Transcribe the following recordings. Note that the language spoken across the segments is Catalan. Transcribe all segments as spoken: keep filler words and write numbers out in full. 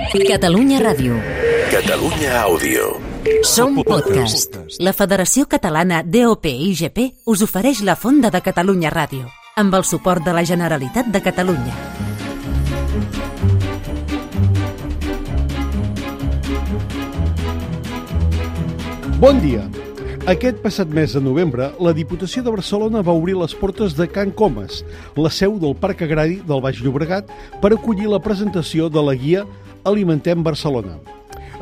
Catalunya Ràdio. Catalunya Àudio. Som podcast. La Federació Catalana D O P I G P us ofereix la Fonda de Catalunya Ràdio, amb el suport de la Generalitat de Catalunya. Bon dia. Aquest passat mes de novembre, la Diputació de Barcelona va obrir les portes de Can Comas, la seu del Parc Agrari del Baix Llobregat, per acollir la presentació de la guia Alimentem Barcelona.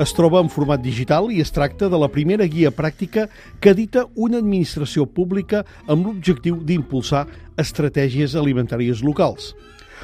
Es troba en format digital i es tracta de la primera guia pràctica que edita una administració pública amb l'objectiu d'impulsar estratègies alimentàries locals.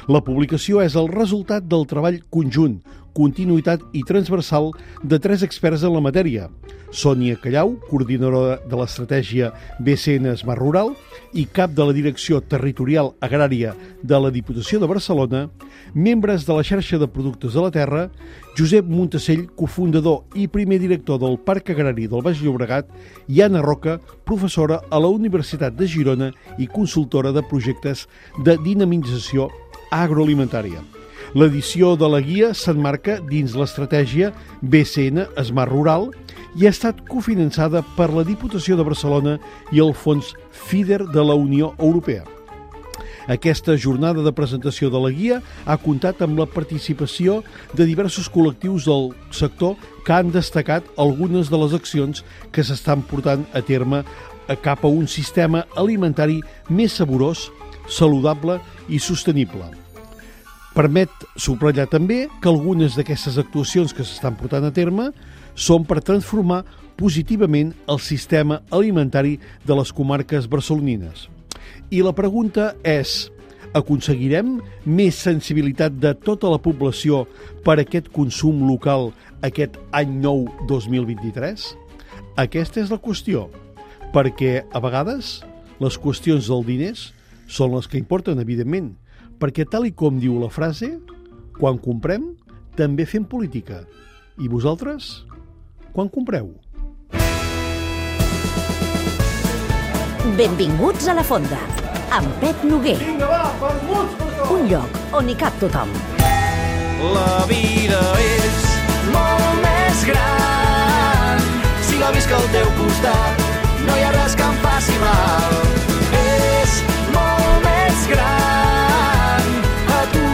La publicació és el resultat del treball conjunt, continuïtat i transversal de tres experts en la matèria: Sònia Callau, coordinadora de l'estratègia B C N Smart Rural i cap de la Direcció Territorial Agrària de la Diputació de Barcelona, membres de la xarxa de productes de la terra, Josep Montesell, cofundador i primer director del Parc Agrari del Baix Llobregat, i Anna Roca, professora a la Universitat de Girona i consultora de projectes de dinamització agroalimentària. L'edició de la guia s'emmarca dins l'estratègia B C N Smart Rural i ha estat cofinançada per la Diputació de Barcelona i el Fons FEDER de la Unió Europea. Aquesta jornada de presentació de la guia ha comptat amb la participació de diversos col·lectius del sector que han destacat algunes de les accions que s'estan portant a terme cap a un sistema alimentari més saborós, saludable i sostenible. Permet subratllar també que algunes d'aquestes actuacions que s'estan portant a terme són per transformar positivament el sistema alimentari de les comarques barcelonines. I la pregunta és: aconseguirem més sensibilitat de tota la població per a aquest consum local aquest any nou dos mil vint-i-tres? Aquesta és la qüestió, perquè a vegades les qüestions dels diners són les que importen, evidentment, perquè tal i com diu la frase, quan comprem, també fem política. I vosaltres, quan compreu? Benvinguts a la Fonda, amb Pep Noguer. Vinga, va, vermuts per tot! Un lloc on hi cap tothom. La vida és molt més gran si la visc al teu costat. No hi ha res que em faci mal. És molt més gran. A tu,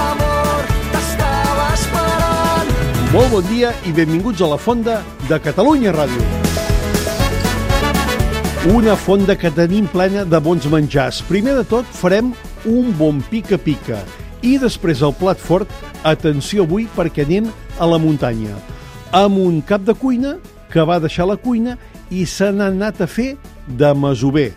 amor, t'estava esperant. Molt bon dia i benvinguts a la Fonda de Catalunya Ràdio. Una fonda que tenim plena de bons menjars. Primer de tot farem un bon pica-pica i després el plat fort, atenció avui perquè anem a la muntanya, amb un cap de cuina que va deixar la cuina i se n'ha anat a fer de masover.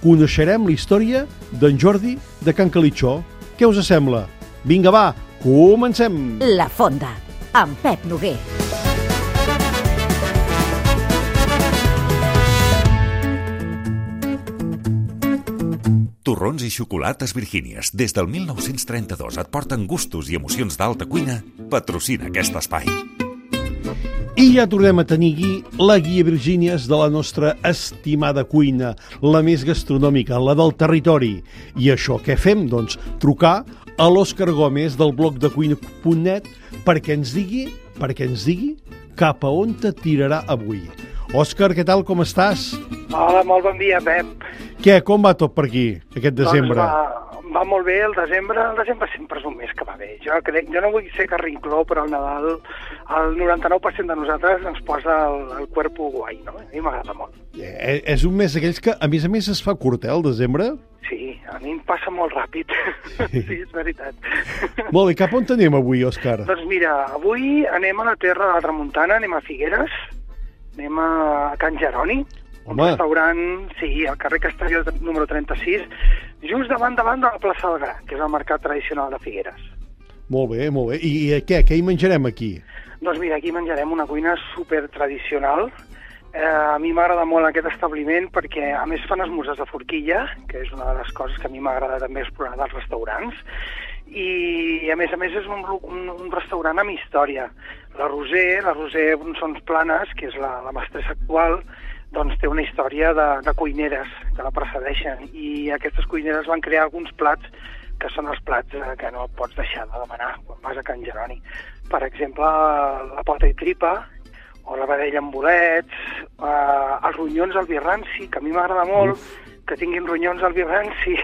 Coneixerem la història d'en Jordi de Can Calitxó. Què us sembla? Vinga, va, comencem! La Fonda, amb Pep Noguer. Torrons i xocolates Virgínies. Des del mil nou-cents trenta-dos et porten gustos i emocions d'alta cuina. Patrocina aquest espai. I ja tornem a tenir aquí la guia Virgínies de la nostra estimada cuina, la més gastronòmica, la del territori. I això què fem? Doncs trucar a l'Òscar Gómez del blog de cuina punt net perquè ens digui, perquè ens digui cap a on te tirarà avui. Òscar, què tal, com estàs? Hola, molt bon dia, Pep. Què, com va tot per aquí, aquest desembre? Doncs va, va molt bé el desembre. El desembre sempre és un mes que va bé. Jo, crec, jo no vull ser carrincló, però el Nadal, el noranta-nou per cent de nosaltres ens posa el, el cuerpo guai, no? A mi m'agrada molt. Eh, és un mes d'aquells que, a més a més, es fa curt, eh, el desembre? Sí, a mi em passa molt ràpid. Sí, sí, és veritat. Molt bé, cap on anem avui, Òscar? Doncs mira, avui anem a la terra de la Tramuntana, anem a Figueres, anem a Can Jeroni, un Home. restaurant, sí, al carrer Castelló número trenta-sis, just davant davant de la plaça del Gra, que és el mercat tradicional de Figueres. Molt bé, molt bé. I, i què, què hi menjarem aquí? Doncs mira, aquí menjarem una cuina super tradicional. Eh, a mi m'agrada molt aquest establiment perquè a més fan esmorzars de forquilla, que és una de les coses que a mi m'agrada també explorar dels restaurants, i a més a més és un, un, un restaurant amb història. La Roser, la Roser són Planes, que és la, la mestressa actual, doncs té una història de, de cuineres que la precedeixen, i aquestes cuineres van crear alguns plats que són els plats eh, que no pots deixar de demanar quan vas a Can Jeroni. Per exemple, la pota i tripa, o la vedella amb bolets, eh, els ronyons al vi ranci, que a mi m'agrada molt, que tinguin ronyons al vi ranci,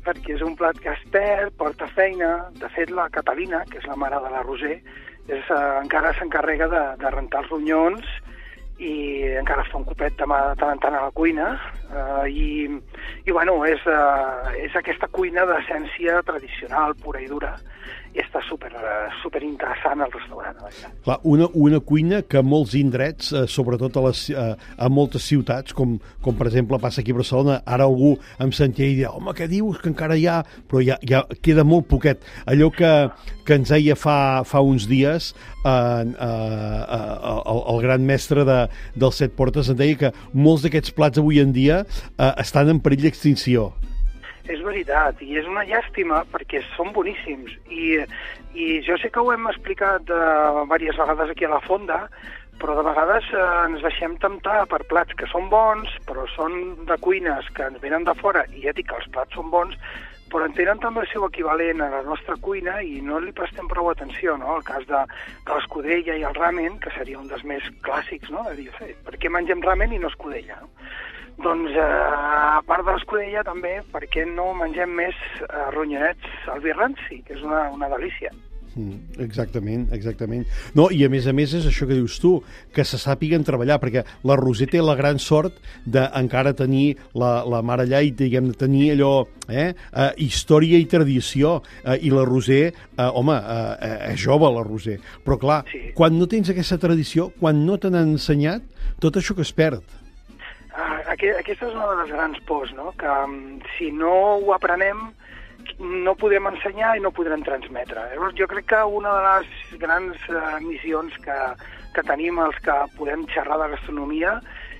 perquè és un plat que es perd, porta feina. De fet, la Catalina, que és la mare de la Roser, és, eh, encara s'encarrega de, de rentar els ronyons i encara es fa un copet de mà de tant en tant a la cuina, eh, i, i bueno, és, eh, és aquesta cuina d'essència tradicional, pura i dura, i està super, super interessant el restaurant. Clar, una, una cuina que a molts indrets, eh, sobretot a, les, eh, a moltes ciutats, com, com per exemple passa aquí a Barcelona, ara algú em sentia i deia, home, què dius, que encara hi ha... Però ja, ja queda molt poquet. Allò que, que ens deia fa, fa uns dies eh, eh, eh, el, el gran mestre de, dels Set Portes, em deia que molts d'aquests plats avui en dia eh, estan en perill d'extinció. És veritat, i és una llàstima perquè són boníssims, i, i jo sé que ho hem explicat uh, diverses vegades aquí a la Fonda, però de vegades uh, ens deixem temptar per plats que són bons, però són de cuines que ens venen de fora, i ja dic que els plats són bons, però en tenen també el seu equivalent a la nostra cuina i no li prestem prou atenció, no? El cas de, de l'escudella i el ramen, que seria un dels més clàssics, no? De dir, per què mengem ramen i no escudella, no? Doncs, eh, a part de l'escudella, també, per què no mengem més eh, ronyonets al vi ranci, que és una, una delícia. Mm, exactament, exactament. No, i a més a més és això que dius tu, que se sàpiguen treballar, perquè la Roser té la gran sort d'encara tenir la, la mare allà i, diguem, tenir allò, eh, eh, història i tradició, eh, i la Roser, eh, home, eh, és jove la Roser, però clar, sí. Quan no tens aquesta tradició, quan no te n'han ensenyat, tot això que es perd. Uh, aquesta és una de les grans pors, no? Que um, si no ho aprenem no podrem ensenyar i no podrem transmetre. Llavors, jo crec que una de les grans uh, missions que, que tenim els que podem xerrar de gastronomia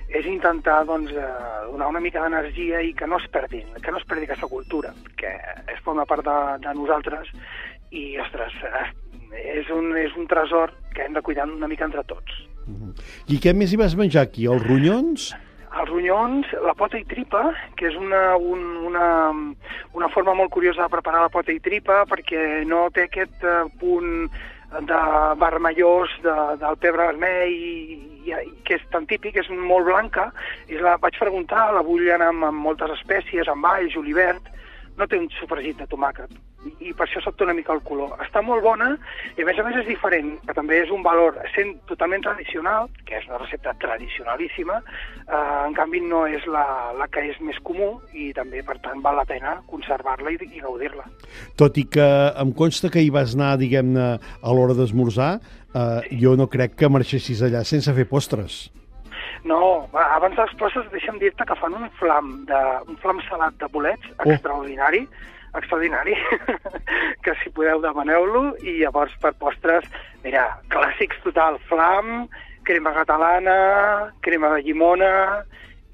és intentar doncs, uh, donar una mica d'energia i que no es perdin, que no es perdi aquesta cultura, que és forma part de, de nosaltres i, ostres, és un, és un tresor que hem de cuidar una mica entre tots. Uh-huh. I què més hi vas menjar aquí? Els ronyons? Els ronyons, la pota i tripa, que és una, un, una, una forma molt curiosa de preparar la pota i tripa perquè no té aquest uh, punt de vermellós de, del pebre vermell i, i, que és tan típic, és molt blanca, i la vaig preguntar, la bullen amb, amb moltes espècies, amb all, julivert, no té un sofregit de tomàquet, i, i per això s'opta una mica el color. Està molt bona, i a més a més és diferent, que també és un valor, sent totalment tradicional, que és una recepta tradicionalíssima, eh, en canvi no és la, la que és més comú, i també, per tant, val la pena conservar-la i, i gaudir-la. Tot i que em consta que hi vas anar, diguem-ne, a l'hora d'esmorzar, eh, sí. Jo no crec que marxessis allà sense fer postres. No, abans dels postres deixa'm dir-te que fan un flam, de, un flam salat de bolets oh. extraordinari, extraordinari, que si podeu demaneu-lo, i llavors per postres, mira, clàssics total, flam, crema catalana, crema de llimona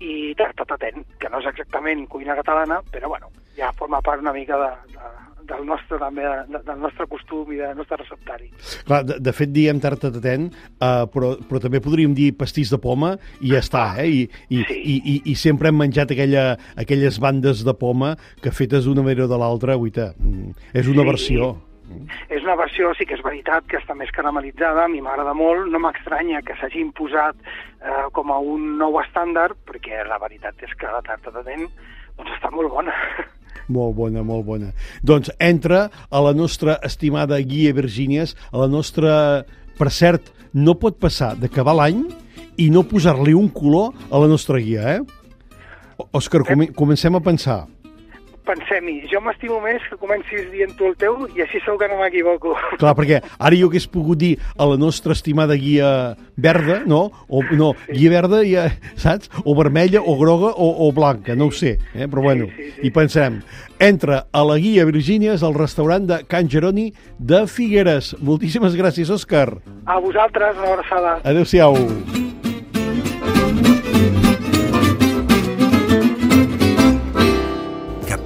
i tarta tatent, que no és exactament cuina catalana, però bueno, ja forma part una mica de, de, del nostre també, de, del nostre costum i del nostre receptari. Clar, de, de fet diem tarta tatent, uh, però, però també podríem dir pastís de poma i ja està, eh? I, i, sí. i, i, i sempre hem menjat aquella, aquelles bandes de poma que fetes d'una manera o de l'altra, guaita, és una sí. versió. És una versió, sí que és veritat, que està més caramelitzada, a mi m'agrada molt, no m'estranya que s'hagi imposat eh, com a un nou estàndard, perquè la veritat és que la tarta tatent doncs està molt bona. Molt bona, molt bona. Doncs entra a la nostra estimada guia Virgínies, a la nostra... Per cert, no pot passar d'acabar l'any i no posar-li un color a la nostra guia, eh? Òscar, com comencem a pensar. Pensem-hi, jo m'estimo més que comencis dient tu el teu i així segur que no m'equivoco. Clar, perquè ara jo hagués pogut dir a la nostra estimada guia verda, no? O, no, sí. Guia verda, ja, saps? O vermella, o groga, o, o blanca, no ho sé, eh? Però bueno, sí, sí, sí. I pensem, entra a la guia Virgínies al restaurant de Can Jeroni de Figueres. Moltíssimes gràcies, Òscar. A vosaltres, una abraçada. Adéu-siau.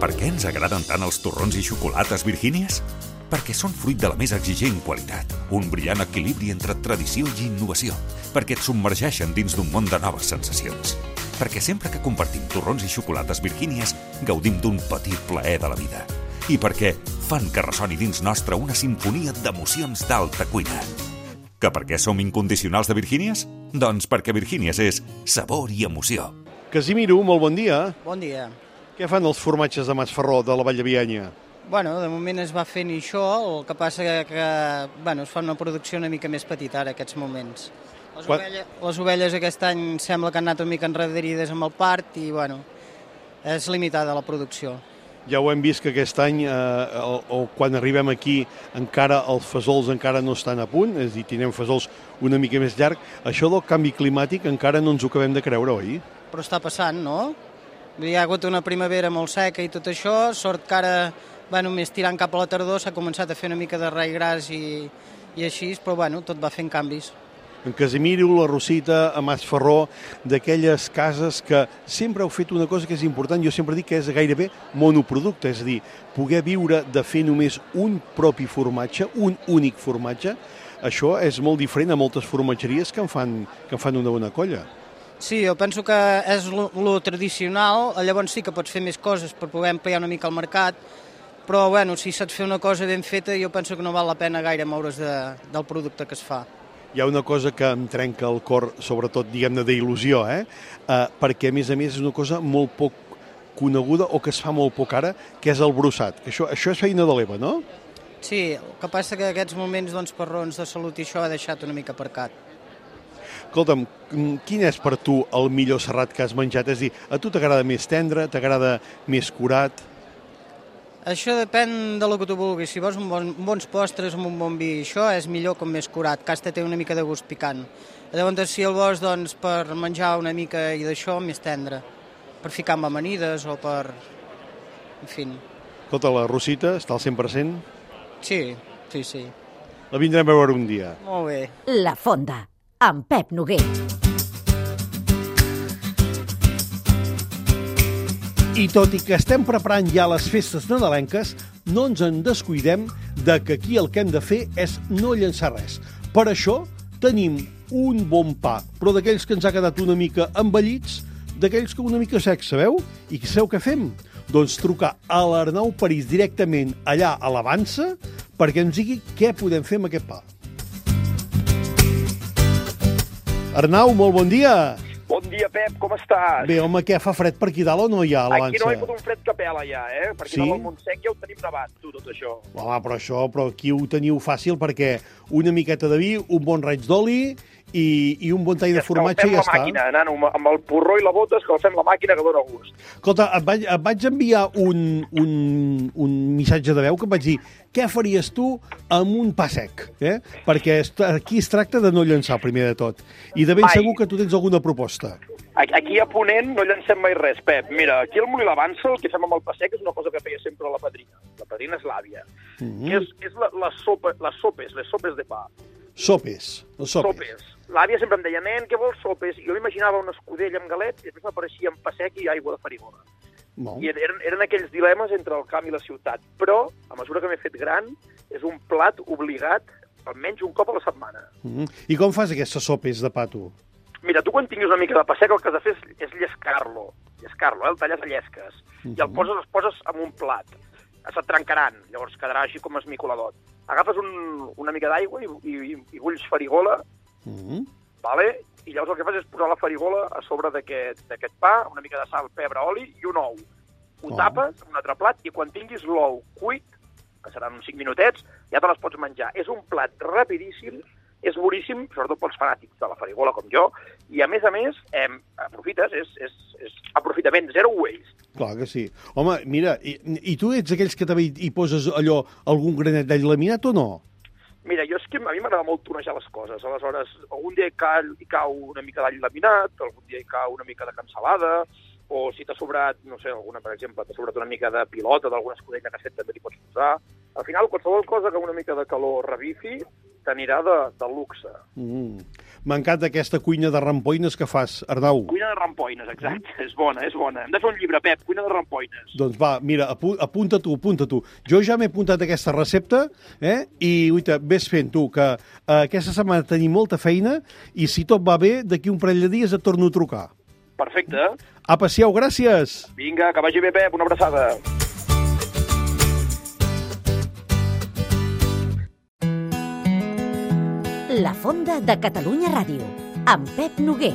Per què ens agraden tant els torrons i xocolates Virgínies? Perquè són fruit de la més exigent qualitat, un brillant equilibri entre tradició i innovació, perquè et submergeixen dins d'un món de noves sensacions, perquè sempre que compartim torrons i xocolates Virgínies gaudim d'un petit plaer de la vida, i perquè fan que ressoni dins nostre una sinfonia d'emocions d'alta cuina. Que per què som incondicionals de Virgínies? Doncs perquè Virgínies és sabor i emoció. Casimiro, molt bon dia. Bon dia. Què fan els formatges de Masferró, de la Vall de Bianya? Bueno, de moment es va fent això, el que passa que, que bueno, es fa una producció una mica més petita ara, aquests moments. Les, Quan... ovelles, les ovelles aquest any sembla que han anat una mica enrederides amb el part i, bueno, és limitada la producció. Ja ho hem vist que aquest any, eh, o, o quan arribem aquí, encara els fesols encara no estan a punt, és a dir, tindrem fesols una mica més llarg. Això del canvi climàtic encara no ens ho acabem de creure, oi? Però està passant, no? Hi ha hagut una primavera molt seca i tot això, sort que ara, bueno, més tirant cap a la tardor, s'ha començat a fer una mica de raigras i, i així, però bueno, tot va fent canvis. En Casimiro, la Rosita, a Masferró, d'aquelles cases que sempre heu fet una cosa que és important, jo sempre dic que és gairebé monoproducte, és a dir, poder viure de fer només un propi formatge, un únic formatge, això és molt diferent a moltes formatgeries que en fan, que en fan una bona colla. Sí, jo penso que és lo tradicional, llavors sí que pots fer més coses per poder ampliar una mica el mercat, però bueno, si saps fer una cosa ben feta, jo penso que no val la pena gaire moure's de, del producte que es fa. Hi ha una cosa que em trenca el cor, sobretot, diguem-ne, d'il·lusió, eh? Uh, perquè, a més a més, és una cosa molt poc coneguda o que es fa molt poc ara, que és el brossat. Això, això és feina de l'Eva, no? Sí, el que passa que aquests moments, doncs, per raons de salut i això, ha deixat una mica aparcat. Escolta'm, quin és per tu el millor serrat que has menjat? És a dir, a tu t'agrada més tendre, t'agrada més curat? Això depèn de lo que tu vulguis. Si vols un bon, bons postres amb un bon vi, això és millor com més curat, que hasta té una mica de gust picant. Llavors, si el vols doncs, per menjar una mica i d'això, més tendre. Per ficar amb amanides o per... En fi. Escolta, la Rosita està al cent per cent? Sí, sí, sí. La vindrem a veure un dia. Molt bé. La Fonda, amb Pep Noguer. I tot i que estem preparant ja les festes nadalenques, no ens en descuidem de que aquí el que hem de fer és no llançar res. Per això tenim un bon pa, però d'aquells que ens ha quedat una mica envellits, d'aquells que una mica secs, sabeu? I sabeu què fem? Doncs trucar a l'Arnau París directament allà a l'Avança perquè ens digui què podem fer amb aquest pa. Arnau, molt bon dia. Bon dia, Pep, com estàs? Bé, home, què, fa fred per aquí dalt o no hi ha a l'Avança? Aquí no hi ha hagut un fred que pela ja, eh? Per aquí sí? dalt al Montsec ja ho tenim nevat, tu, tot això. Home, però això, però aquí ho teniu fàcil perquè una miqueta de vi, un bon raig d'oli i, i un bon tall de formatge i ja està. Escalfem la màquina, nano, amb el porró i la bota escalfem la màquina que dóna gust. Escolta, et vaig, et vaig enviar un, un, un missatge de veu que em vaig dir què faries tu amb un pa sec, eh? Perquè aquí es tracta de no llançar, primer de tot. I de ben Mai. segur que tu tens alguna proposta. Aquí a Ponent no llancem mai res, Pep. Mira, aquí al Molí l'Avança el que fem amb el pa sec és una cosa que feia sempre la padrina. La padrina és l'àvia. Mm -hmm. Que és, és la, la sopa, les sopes, les sopes de pa. Sopes, les sopes. Sopes. L'àvia sempre em deia, nen, què vols sopes? I jo m'imaginava un escudell amb galets i després m'apareixia en pa sec i aigua de farigola. No. I eren, eren aquells dilemes entre el camp i la ciutat. Però, a mesura que m'he fet gran, és un plat obligat almenys un cop a la setmana. Mm -hmm. I com fas aquestes sopes de pa, tu? Mira, tu quan tinguis una mica de pa sec el que has de fer és, és llescar-lo. Llescar-lo, eh? El talles a llesques. Uh-huh. I el poses, els poses en un plat. Se't trencaran, llavors quedarà així com esmicoladot. Agafes un, una mica d'aigua i, i, i bulls farigola, uh-huh. vale? I llavors el que fas és posar la farigola a sobre d'aquest pa, una mica de sal, pebre, oli i un ou. Ho oh. tapes en un altre plat i quan tinguis l'ou cuit, que seran uns cinc minutets, ja te les pots menjar. És un plat rapidíssim, és boníssim, sobretot pels fanàtics de la farigola com jo, i a més a més, eh, aprofites, és, és, és aprofitament, zero waste. Clar que sí. Home, mira, i, i tu ets aquells que també hi, hi poses allò, algun granet d'all laminat o no? Mira, jo és que a mi m'agrada molt tonejar les coses, aleshores, algun dia hi cau, hi cau una mica d'all laminat, algun dia hi cau una mica de cansalada, o si t'ha sobrat, no sé, alguna, per exemple, t'ha sobrat una mica de pilota d'alguna escudella que has fet, també t'hi pots posar. Al final, qualsevol cosa que una mica de calor revifi, t'anirà de, de luxe. Mm. M'encanta aquesta cuina de rampoines que fas, Arnau. Cuina de rampoines, exacte. Mm. És bona, és bona. Hem de fer un llibre, Pep, cuina de rampoines. Doncs va, mira, apu apunta tu, apunta tu. Jo ja m'he apuntat aquesta recepta, eh? I, uita, ves fent tu, que eh, aquesta setmana tenim molta feina i si tot va bé, d'aquí un parell de dies et torno a trucar. Perfecte. Apa, siau, gràcies. Vinga, que vagi bé, Pep, una abraçada. La Fonda de Catalunya Ràdio, amb Pep Noguer.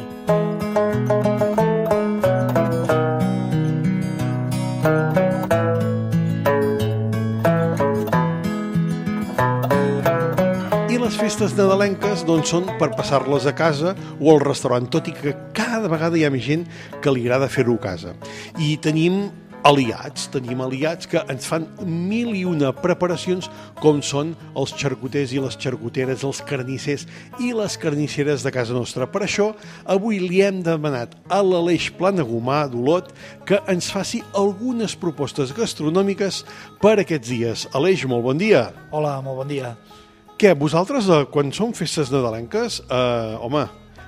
I les festes nadalenques doncs, són per passar-les a casa o al restaurant, tot i que cada vegada hi ha més gent que li agrada fer-ho a casa. I tenim aliats, tenim aliats que ens fan mil i una preparacions com són els xarcuters i les xarcuteres, els carnissers i les carnisseres de casa nostra. Per això, avui li hem demanat a l'Aleix Planagumà d'Olot que ens faci algunes propostes gastronòmiques per aquests dies. Aleix, molt bon dia. Hola, molt bon dia. Què, vosaltres, quan són festes nadalenques, eh, home,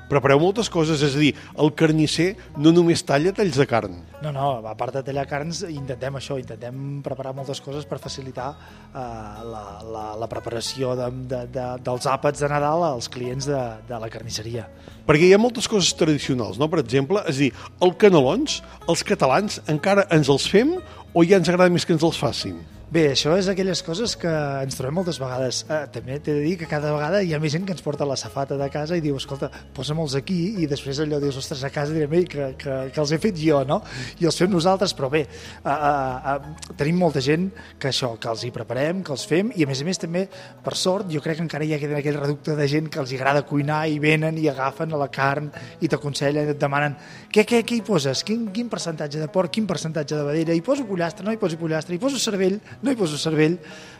prepareu moltes coses, és a dir, el carnisser no només talla talls de carn. No, no, a part de tallar carns, intentem això, intentem preparar moltes coses per facilitar eh, la, la, la preparació de, de, de, dels àpats de Nadal als clients de, de la carnisseria. Perquè hi ha moltes coses tradicionals, no? Per exemple, és a dir, els canelons, els catalans encara ens els fem o ja ens agrada més que ens els facin? Bé, això és aquelles coses que ens trobem moltes vegades. Eh, també t'he de dir que cada vegada hi ha més gent que ens porta la safata de casa i diu, escolta, posa-me'ls aquí, i després allò dius, ostres, a casa direm, que, que, que els he fet jo, no? I els fem nosaltres, però bé, eh, eh, eh, tenim molta gent que això, que els hi preparem, que els fem, i a més a més també, per sort, jo crec que encara hi ha aquell reducte de gent que els agrada cuinar i venen i agafen a la carn i t'aconsellen, et demanen, què, què, què hi poses? Quin, quin percentatge de porc, quin percentatge de vedella? Hi poso pollastre, no hi poso pollastre, hi poso cervell, no hi poso cervell.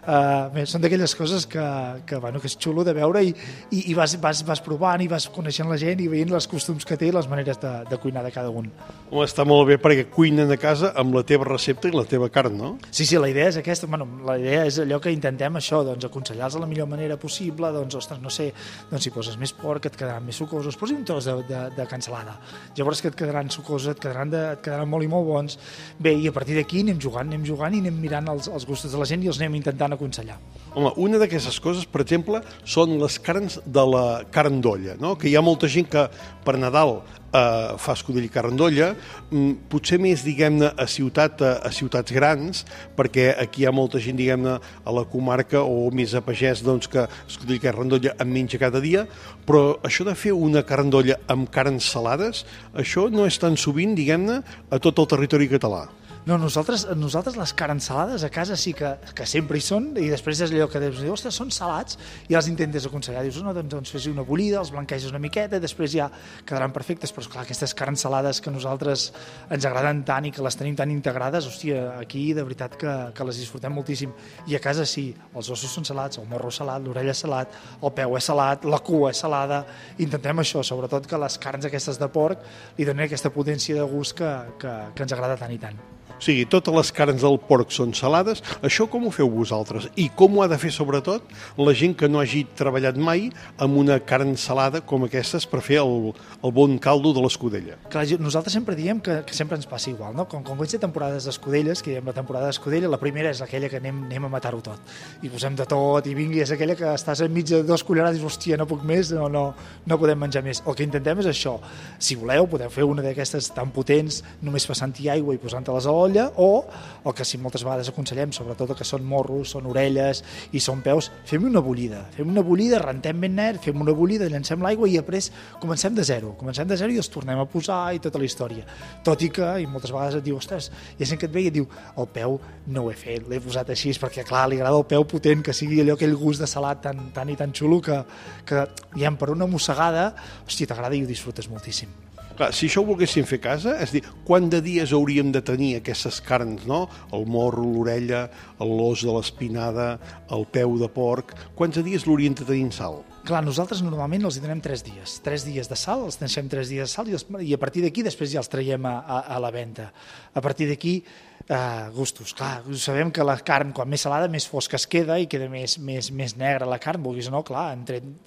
Uh, bé, són d'aquelles coses que, que, bueno, que és xulo de veure i, i, i vas, vas, vas provant i vas coneixent la gent i veient els costums que té i les maneres de, de cuinar de cada un. Home, està molt bé perquè cuinen a casa amb la teva recepta i la teva carn, no? Sí, sí, la idea és aquesta. Bueno, la idea és allò que intentem això, doncs, aconsellar-los de la millor manera possible, doncs, ostres, no sé, doncs, si poses més porc et quedaran més sucosos, posi un tros de, de, de cansalada. Llavors que et quedaran sucosos, et quedaran, de, et quedaran molt i molt bons. Bé, i a partir d'aquí anem jugant, anem jugant i anem mirant els, els gustos de la gent i els anem intentant aconsellar. Home, una d'aquestes coses, per exemple, són les carns de la carn d'olla, no? Que hi ha molta gent que per Nadal eh, fa escudell i carn d'olla, mm, potser més, diguem-ne, a, ciutat, a, a ciutats grans, perquè aquí hi ha molta gent, diguem-ne, a la comarca o més a pagès, doncs, que escudell i carn d'olla en menja cada dia, però això de fer una carn d'olla amb carns salades, això no és tan sovint, diguem-ne, a tot el territori català. No, nosaltres, nosaltres les carns salades a casa sí que, que sempre hi són, i després és allò que dius, ostres, són salats, i els intentes aconsellar, dius, no, doncs, doncs fes una bullida, els blanqueges una miqueta, i després ja quedaran perfectes, però esclar, aquestes carns salades que a nosaltres ens agraden tant i que les tenim tan integrades, hòstia, aquí de veritat que, que les disfrutem moltíssim, i a casa sí, els ossos són salats, el morro salat, l'orella salat, el peu és salat, la cua és salada, intentem això, sobretot que les carns aquestes de porc li donen aquesta potència de gust que, que, que ens agrada tant i tant. O sigui, totes les carns del porc són salades. Això com ho feu vosaltres? I com ho ha de fer, sobretot, la gent que no hagi treballat mai amb una carn salada com aquestes per fer el, el bon caldo de l'escudella? Clar, nosaltres sempre diem que, que sempre ens passa igual, no? Com, com comença temporades d'escudelles, que diem la temporada d'escudella, la primera és aquella que anem, anem a matar-ho tot. I posem de tot, i vingui, és aquella que estàs enmig de dos cullerades i dius, hòstia, no puc més, no, no, no podem menjar més. El que intentem és això. Si voleu, podeu fer una d'aquestes tan potents, només passant-hi aigua i posant-te-les a l'olla, o el que sí moltes vegades aconsellem, sobretot que són morros, són orelles i són peus, fem una bullida, fem una bullida, rentem ben net, fem una bullida, llancem l'aigua i després comencem de zero, comencem de zero i els tornem a posar i tota la història. Tot i que, i moltes vegades et diu, ostres, hi ha gent que et ve i et diu, el peu no ho he fet, l'he posat així, perquè clar, li agrada el peu potent, que sigui allò, aquell gust de salat tan, tan i tan xulo que, que ja per una mossegada, hòstia, t'agrada i ho disfrutes moltíssim. Clar, si això ho volguéssim fer a casa, és dir, quant de dies hauríem de tenir aquestes carns, no? El morro, l'orella, l'os de l'espinada, el peu de porc, quants de dies l'haurien de tenir en sal? Clar, nosaltres normalment els hi donem tres dies. Tres dies de sal, els deixem tres dies de sal i, els, i a partir d'aquí després ja els traiem a, a, a la venda. A partir d'aquí, eh, gustos. Clar, sabem que la carn, quan més salada, més fosca es queda i queda més, més, més negra la carn, vulguis o no, clar,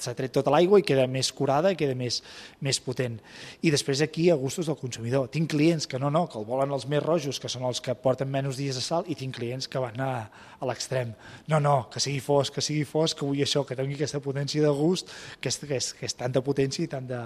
s'ha tret tota l'aigua i queda més curada i queda més, més potent. I després aquí, a gustos del consumidor. Tinc clients que no, no, que el volen els més rojos, que són els que porten menys dies de sal, i tinc clients que van a, a l'extrem. No, no, que sigui fosc, que sigui fosc, que vull això, que tingui aquesta potència de gust, que és, que és, que és tanta potència i tant de,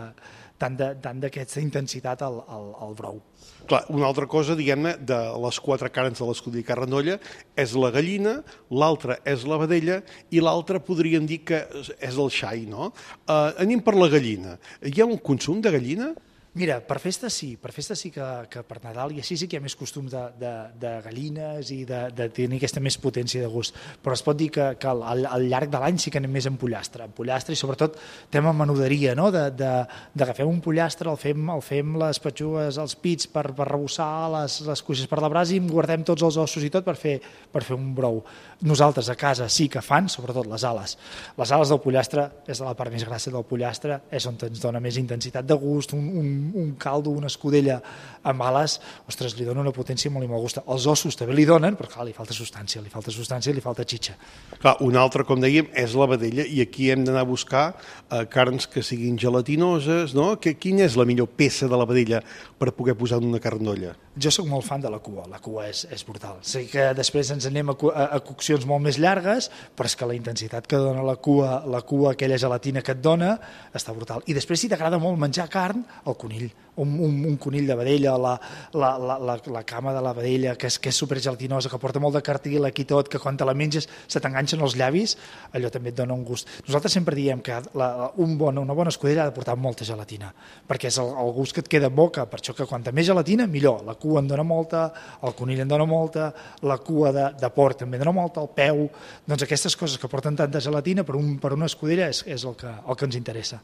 tant de, tant d'aquesta intensitat al, al, al brou. Clar, una altra cosa, diguem-ne, de les quatre quatre carns de l'escudella Carrandolla, és la gallina, l'altra és la vedella i l'altra podríem dir que és el xai, no? Uh, anem per la gallina. Hi ha un consum de gallina? Mira, per festa sí, per festa sí que, que per Nadal i així sí que hi ha més costum de, de, de gallines i de, de tenir aquesta més potència de gust, però es pot dir que, que al, al llarg de l'any sí que anem més en pollastre, en pollastre i sobretot tema menuderia, no? d'agafem un pollastre, el fem, el fem les petxugues, els pits per, per rebossar, les, les cuixes per la brasa i guardem tots els ossos i tot per fer, per fer un brou. Nosaltres a casa sí que fan, sobretot les ales. Les ales del pollastre és de la part més grassa del pollastre, és on ens dona més intensitat de gust, un, un un caldo, una escudella amb ales, ostres, li dona una potència molt i molt gusta. Els ossos també li donen, però clar, li falta substància, li falta substància i li falta xitxa. Clar, una altra, com dèiem, és la vedella i aquí hem d'anar a buscar eh, carns que siguin gelatinoses, no? Que, quina és la millor peça de la vedella per poder posar en una carndolla? Jo sóc molt fan de la cua, la cua és, és brutal. Sé que després ens anem a, a, a coccions molt més llargues, però és que la intensitat que dona la cua, la cua, aquella gelatina que et dona, està brutal. I després, si t'agrada molt menjar carn, el conill. Un, un, un conill de vedella, la, la, la, la, la cama de la vedella, que és, que és supergelatinosa, que porta molt de cartílag i tot, que quan te la menges se t'enganxen els llavis, allò també et dona un gust. Nosaltres sempre diem que la, un bon, una bona escudella ha de portar molta gelatina, perquè és el, el gust que et queda en boca, per això que quanta més gelatina, millor. La cua en dona molta, el conill en dona molta, la cua de, de porc també en dona molta, el peu, doncs aquestes coses que porten tanta gelatina per, un, per una escudella és, és el, que, el que ens interessa.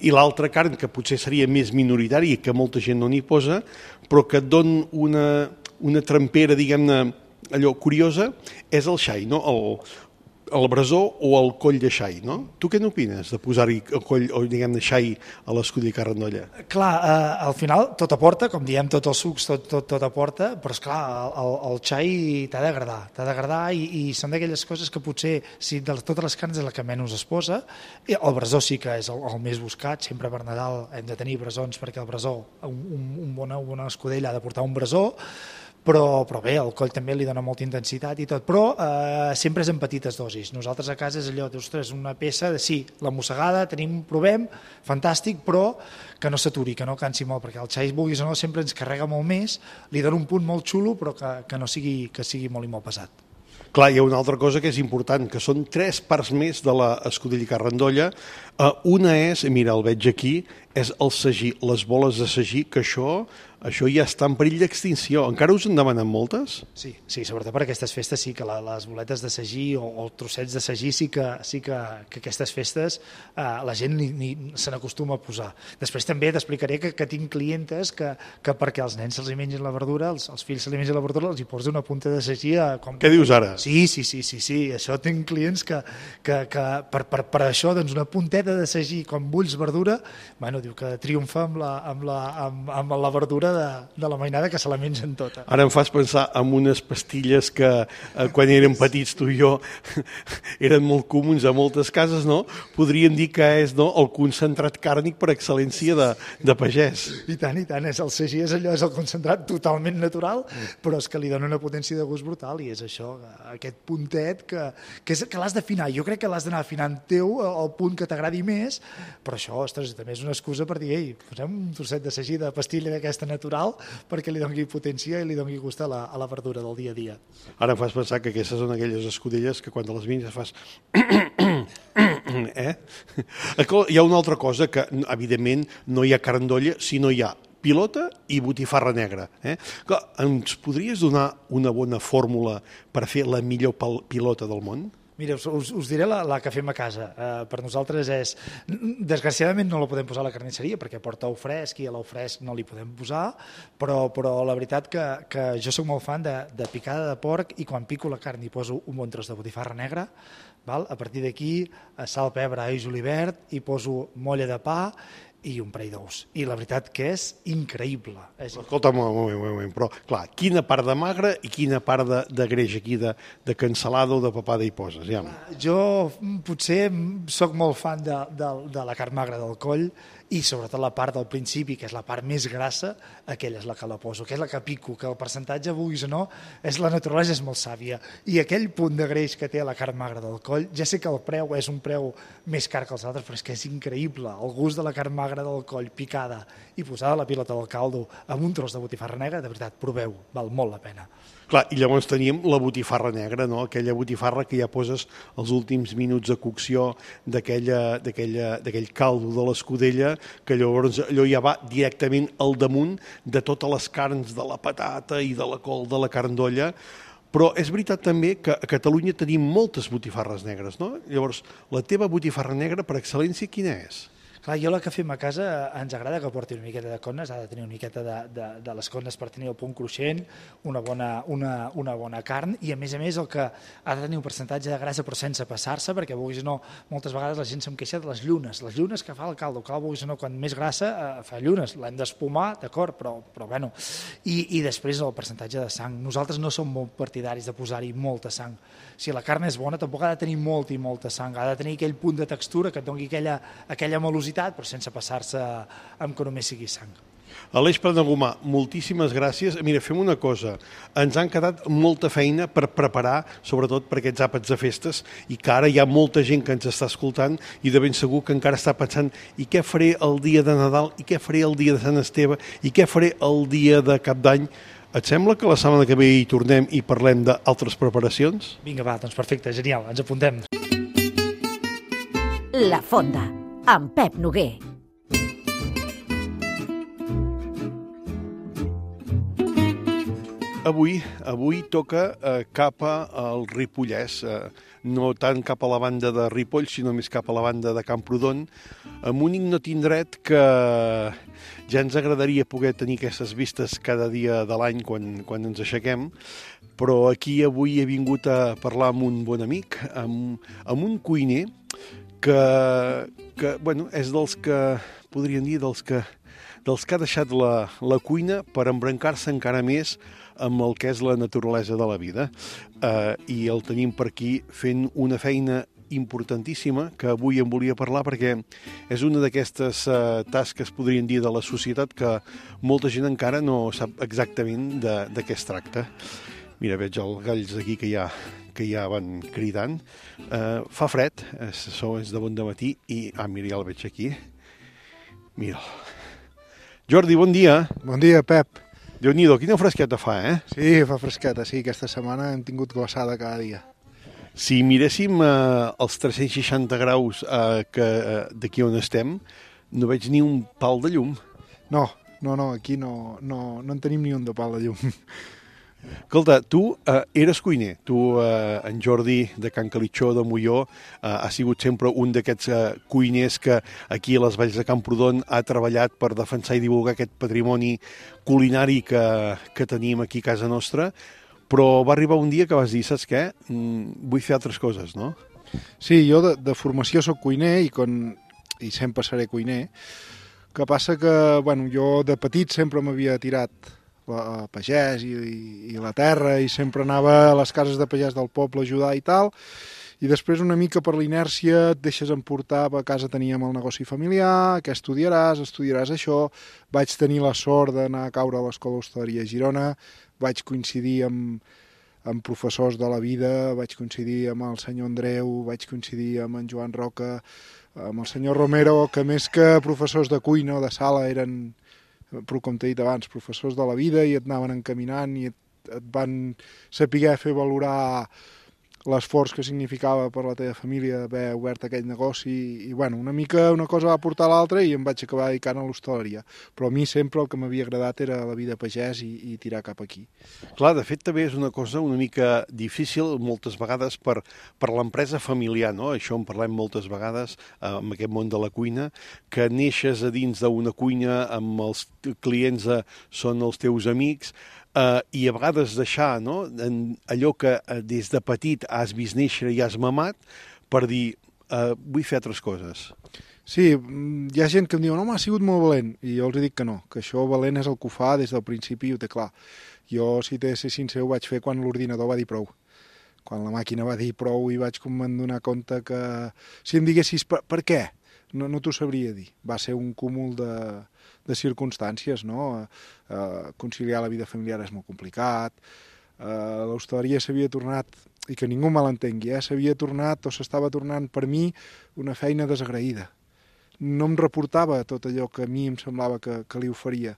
I l'altra carn, que potser seria més minoritària, que molta gent no n'hi posa, però que et don una, una trempera, diguem-ne, allò curiosa, és el xai, no? El, el brasó o el coll de xai, no? Tu què n'opines de posar-hi el coll, o diguem-ne, xai a l'escudella Carrandolla? Clar, eh, al final tot aporta, com diem, tots els sucs, tot, tot, tot aporta, però esclar, el, el xai t'ha d'agradar, t'ha d'agradar i, i són d'aquelles coses que potser, si de totes les carns és la que menys es posa, i el brasó sí que és el, el més buscat, sempre per Nadal hem de tenir brasons perquè el brasó, un, un, un bona, una escudella ha de portar un brasó, Però, però bé, el coll també li dona molta intensitat i tot, però eh, sempre és en petites dosis. Nosaltres a casa és allò, ostres, una peça de sí, la mossegada, tenim, provem, fantàstic, però que no s'aturi, que no cansi molt, perquè el xai, vulguis o no, sempre ens carrega molt més, li dona un punt molt xulo, però que, que no sigui, que sigui molt i molt pesat. Clar, hi ha una altra cosa que és important, que són tres parts més de l'escudella Carrandolla. Uh, una és, mira, el veig aquí, és el sagí, les boles de sagí, que això, això ja està en perill d'extinció. Encara us en demanen moltes? Sí, sí, sobretot per aquestes festes sí que la, les boletes de sagí o, o trossets de sagí sí que, sí que, que aquestes festes eh, la gent ni, ni se n'acostuma a posar. Després també t'explicaré que, que tinc clientes que, que perquè els nens se'ls mengin la verdura, els, els fills se'ls mengin la verdura, els hi posa una punta de sagí. A, com... Què dius ara? Sí, sí, sí, sí, sí. Això tinc clients que, que, que per, per, per això doncs una punteta de sagí quan bulls verdura, bueno, diu que triomfa amb la, amb la, amb, amb la verdura de, de la mainada que se la mengen tota. Ara em fas pensar en unes pastilles que eh, quan érem petits tu i jo eren molt comuns a moltes cases, no? Podríem dir que és, no, el concentrat càrnic per excel·lència de, de pagès. I tant, i tant, és el sagí, és allò, és el concentrat totalment natural, però és que li dona una potència de gust brutal i és això, aquest puntet que, que, és, que l'has d'afinar. Jo crec que l'has d'anar afinant teu al punt que t'agradi més, però això, ostres, també és una excusa per dir, ei, posem un trosset de sagí de pastilla d'aquesta natural perquè li doni potència i li doni gust a la, a la verdura del dia a dia. Ara em fas pensar que aquestes són aquelles escudelles que quan te les menges fas... eh? Hi ha una altra cosa que, evidentment, no hi ha carandolla si no hi ha pilota i botifarra negra. Eh? Ens podries donar una bona fórmula per fer la millor pilota del món? Mira, us, us diré la, la que fem a casa. Uh, per nosaltres és... Desgraciadament no la podem posar a la carnisseria perquè porta ou fresc i a l'ou fresc no li podem posar, però, però la veritat que, que jo soc molt fan de, de picada de porc i quan pico la carn hi poso un bon tros de botifarra negra, val? A partir d'aquí sal, pebre, all, julivert, hi poso molla de pa i un parell d'ous. I la veritat que és increïble. És... Escolta'm, un moment, un moment, però, clar, quina part de magre i quina part de, de greix aquí, de, de cansalada o de papada hi poses? Ja. Jo potser sóc molt fan de, de, de la carn magra del coll i sobretot la part del principi, que és la part més grassa, aquella és la que la poso, que és la que pico, que el percentatge, vulguis o no, és la naturalesa és molt sàvia. I aquell punt de greix que té la carn magra del coll, ja sé que el preu és un preu més car que els altres, però és que és increïble. El gust de la carn magra magre del coll picada i posada la pilota del caldo amb un tros de botifarra negra, de veritat, proveu, val molt la pena. Clar, i llavors teníem la botifarra negra, no? Aquella botifarra que ja poses els últims minuts de cocció d'aquell caldo de l'escudella, que llavors allò ja va directament al damunt de totes les carns de la patata i de la col de la carn d'olla. Però és veritat també que a Catalunya tenim moltes botifarres negres, no? Llavors, la teva botifarra negra per excel·lència quina és? Clar, jo la que fem a casa ens agrada que porti una miqueta de connes, ha de tenir una miqueta de, de, de les connes per tenir el punt cruixent, una bona, una, una bona carn, i a més a més el que ha de tenir un percentatge de grassa però sense passar-se, perquè vulguis o no, moltes vegades la gent se'm queixa de les llunes, les llunes que fa el caldo, clar, vulguis o no, quan més grassa eh, fa llunes, l'hem d'espumar, d'acord, però, però bueno, i, i després el percentatge de sang. Nosaltres no som molt partidaris de posar-hi molta sang. Si la carn és bona, tampoc ha de tenir molta i molta sang, ha de tenir aquell punt de textura que et doni aquella, aquella malositat, però sense passar-se amb que només sigui sang. Aleix Planagumà, moltíssimes gràcies. Mira, fem una cosa. Ens han quedat molta feina per preparar, sobretot per aquests àpats de festes, i que ara hi ha molta gent que ens està escoltant i de ben segur que encara està pensant i què faré el dia de Nadal, i què faré el dia de Sant Esteve, i què faré el dia de Cap d'Any. Et sembla que la setmana que ve hi tornem i parlem d'altres preparacions? Vinga, va, doncs perfecte, genial, ens apuntem. La Fonda, amb Pep Noguer. Avui, avui toca eh, cap al Ripollès, eh, no tant cap a la banda de Ripoll, sinó més cap a la banda de Camprodon, amb un ignot indret que ja ens agradaria poder tenir aquestes vistes cada dia de l'any quan, quan ens aixequem, però aquí avui he vingut a parlar amb un bon amic, amb, amb un cuiner que, que bueno, és dels que, podríem dir, dels que, dels que ha deixat la, la cuina per embrancar-se encara més amb el que és la naturalesa de la vida. Eh, I el tenim per aquí fent una feina importantíssima que avui em volia parlar perquè és una d'aquestes eh, tasques, podríem dir, de la societat que molta gent encara no sap exactament de, de què es tracta. Mira, veig els galls aquí que ja, que ja van cridant. Eh, fa fred, és, és de bon dematí i... Ah, mira, ja el veig aquí. Mira'l. Jordi, bon dia. Bon dia, Pep. Déu-n'hi-do, quina fresqueta fa, eh? Sí, fa fresqueta, sí. Aquesta setmana hem tingut glaçada cada dia. Si miréssim eh, els tres-cents seixanta graus eh, que eh, d'aquí on estem, no veig ni un pal de llum. No, no, no, aquí no, no, no en tenim ni un de pal de llum. Escolta, tu eh, eres cuiner. Tu, eh, en Jordi, de Can Calitxó, de Molló, eh, ha sigut sempre un d'aquests eh, cuiners que aquí a les Valls de Camprodon ha treballat per defensar i divulgar aquest patrimoni culinari que, que tenim aquí a casa nostra, però va arribar un dia que vas dir, saps què? Mm, vull fer altres coses, no? Sí, jo de, de formació soc cuiner i, con, i sempre seré cuiner. Que passa que, bueno, jo de petit sempre m'havia tirat a pagès i, i, i la terra i sempre anava a les cases de pagès del poble a ajudar i tal, i després una mica per l'inèrcia et deixes emportar. A casa teníem el negoci familiar, què estudiaràs? Estudiaràs això. Vaig tenir la sort d'anar a caure a l'Escola d'Hostaleria a Girona, vaig coincidir amb, amb professors de la vida, vaig coincidir amb el senyor Andreu, vaig coincidir amb en Joan Roca, amb el senyor Romero, que més que professors de cuina o de sala eren, però com t'he dit abans, professors de la vida, i et anaven encaminant i et, et van saber fer valorar l'esforç que significava per la teva família haver obert aquell negoci i, bueno, una mica una cosa va portar a l'altra i em vaig acabar dedicant a l'hostaleria. Però a mi sempre el que m'havia agradat era la vida pagès i, i tirar cap aquí. Clar, de fet també és una cosa una mica difícil moltes vegades per, per l'empresa familiar, no? Això en parlem moltes vegades eh, amb aquest món de la cuina, que neixes a dins d'una cuina amb els clients eh, són els teus amics, Uh, i a vegades deixar, no? En allò que uh, des de petit has vist néixer i has mamat per dir, uh, vull fer altres coses. Sí, hi ha gent que em diu, no, m'ha sigut molt valent, i jo els dic que no, que això valent és el que ho fa des del principi i ho té clar. Jo, si t'he de ser sincer, ho vaig fer quan l'ordinador va dir prou. Quan la màquina va dir prou i vaig com me'n donar compte que... Si em diguessis per, per què, no, no t'ho sabria dir. Va ser un cúmul de... de circumstàncies, no? Eh, conciliar la vida familiar és molt complicat, eh, l'hostaleria s'havia tornat, i que ningú me l'entengui, eh, s'havia tornat o s'estava tornant per mi una feina desagraïda. no em reportava tot allò que a mi em semblava que, que li oferia.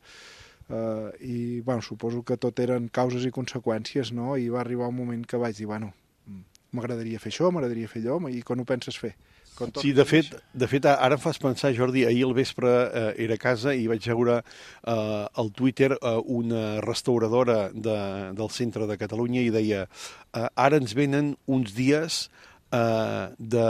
Uh, I, bueno, suposo que tot eren causes i conseqüències, no? I va arribar un moment que vaig dir, bueno, m'agradaria fer això, m'agradaria fer allò, i quan ho penses fer? Sí, de fet, de fet, ara em fas pensar, Jordi, ahir al vespre eh, era a casa i vaig veure eh, al Twitter eh, una restauradora de, del centre de Catalunya i deia eh, ara ens venen uns dies eh, de,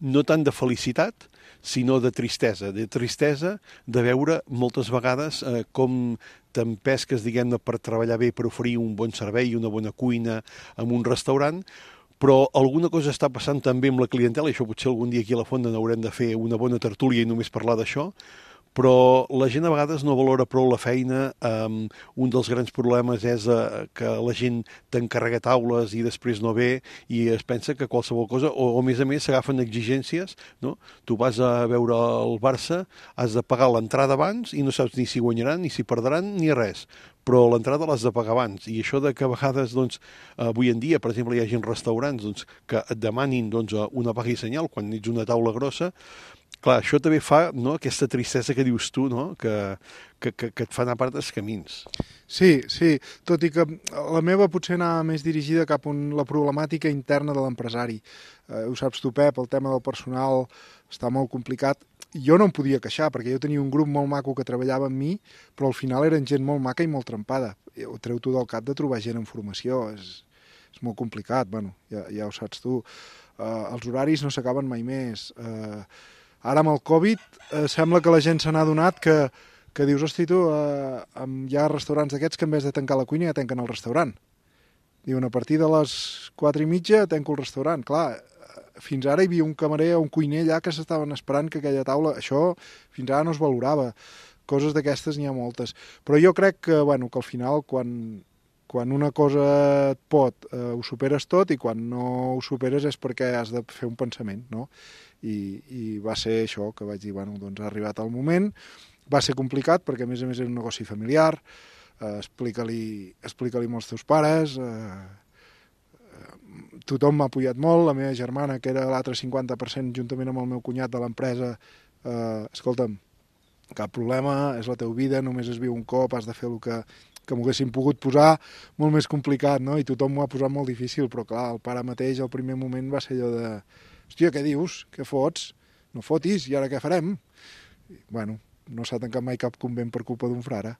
no tant de felicitat, sinó de tristesa, de tristesa de veure moltes vegades eh, com t'empesques, diguem-ne, per treballar bé, per oferir un bon servei, una bona cuina en un restaurant, però alguna cosa està passant també amb la clientela, i això potser algun dia aquí a la Fonda n'haurem de fer una bona tertúlia i només parlar d'això, però la gent a vegades no valora prou la feina. Um, un dels grans problemes és uh, que la gent t'encarrega taules i després no ve i es pensa que qualsevol cosa, o, o a més a més s'agafen exigències, no? Tu vas a veure el Barça, has de pagar l'entrada abans i no saps ni si guanyaran, ni si perdran, ni res. Però l'entrada l'has de pagar abans. I això de que a vegades, doncs, avui en dia, per exemple, hi ha gent restaurants doncs, que et demanin doncs, una paga i senyal quan ets una taula grossa. Clar, això també fa, no?, aquesta tristesa que dius tu, no?, que, que, que, que et fa anar per altres camins. Sí, sí, tot i que la meva potser anava més dirigida cap a la problemàtica interna de l'empresari. Eh, ho saps tu, Pep, el tema del personal està molt complicat. Jo no em podia queixar, perquè jo tenia un grup molt maco que treballava amb mi, però al final eren gent molt maca i molt trempada. Ho treu tu del cap de trobar gent en formació, és, és molt complicat, bueno, ja, ja ho saps tu. Uh, els horaris no s'acaben mai més. Uh, ara amb el Covid uh, sembla que la gent se n'ha adonat que, que dius, hosti tu, uh, hi ha restaurants d'aquests que en vez de tancar la cuina ja tanquen el restaurant. Diuen, a partir de les quatre i mitja tanco el restaurant. Clar, fins ara hi havia un camarer o un cuiner allà que s'estaven esperant que aquella taula... Això fins ara no es valorava. Coses d'aquestes n'hi ha moltes. Però jo crec que, bueno, que al final, quan, quan una cosa et pot, eh, ho superes tot, i quan no ho superes és perquè has de fer un pensament, no? I, i va ser això que vaig dir, bueno, doncs ha arribat el moment. Va ser complicat perquè, a més a més, era un negoci familiar. Eh, explica-li explica-li als teus pares... Eh, tothom m'ha apoyat molt, la meva germana, que era l'altre cinquanta per cent, juntament amb el meu cunyat de l'empresa, eh, escolta'm, cap problema, és la teva vida, només es viu un cop, has de fer el que, que m'ho haguessin pogut posar molt més complicat, no? I tothom m'ho ha posat molt difícil, però clar, el pare mateix, al primer moment va ser allò de, hòstia, què dius? Què fots? No fotis, i ara què farem? I, bueno, no s'ha tancat mai cap convent per culpa d'un frare.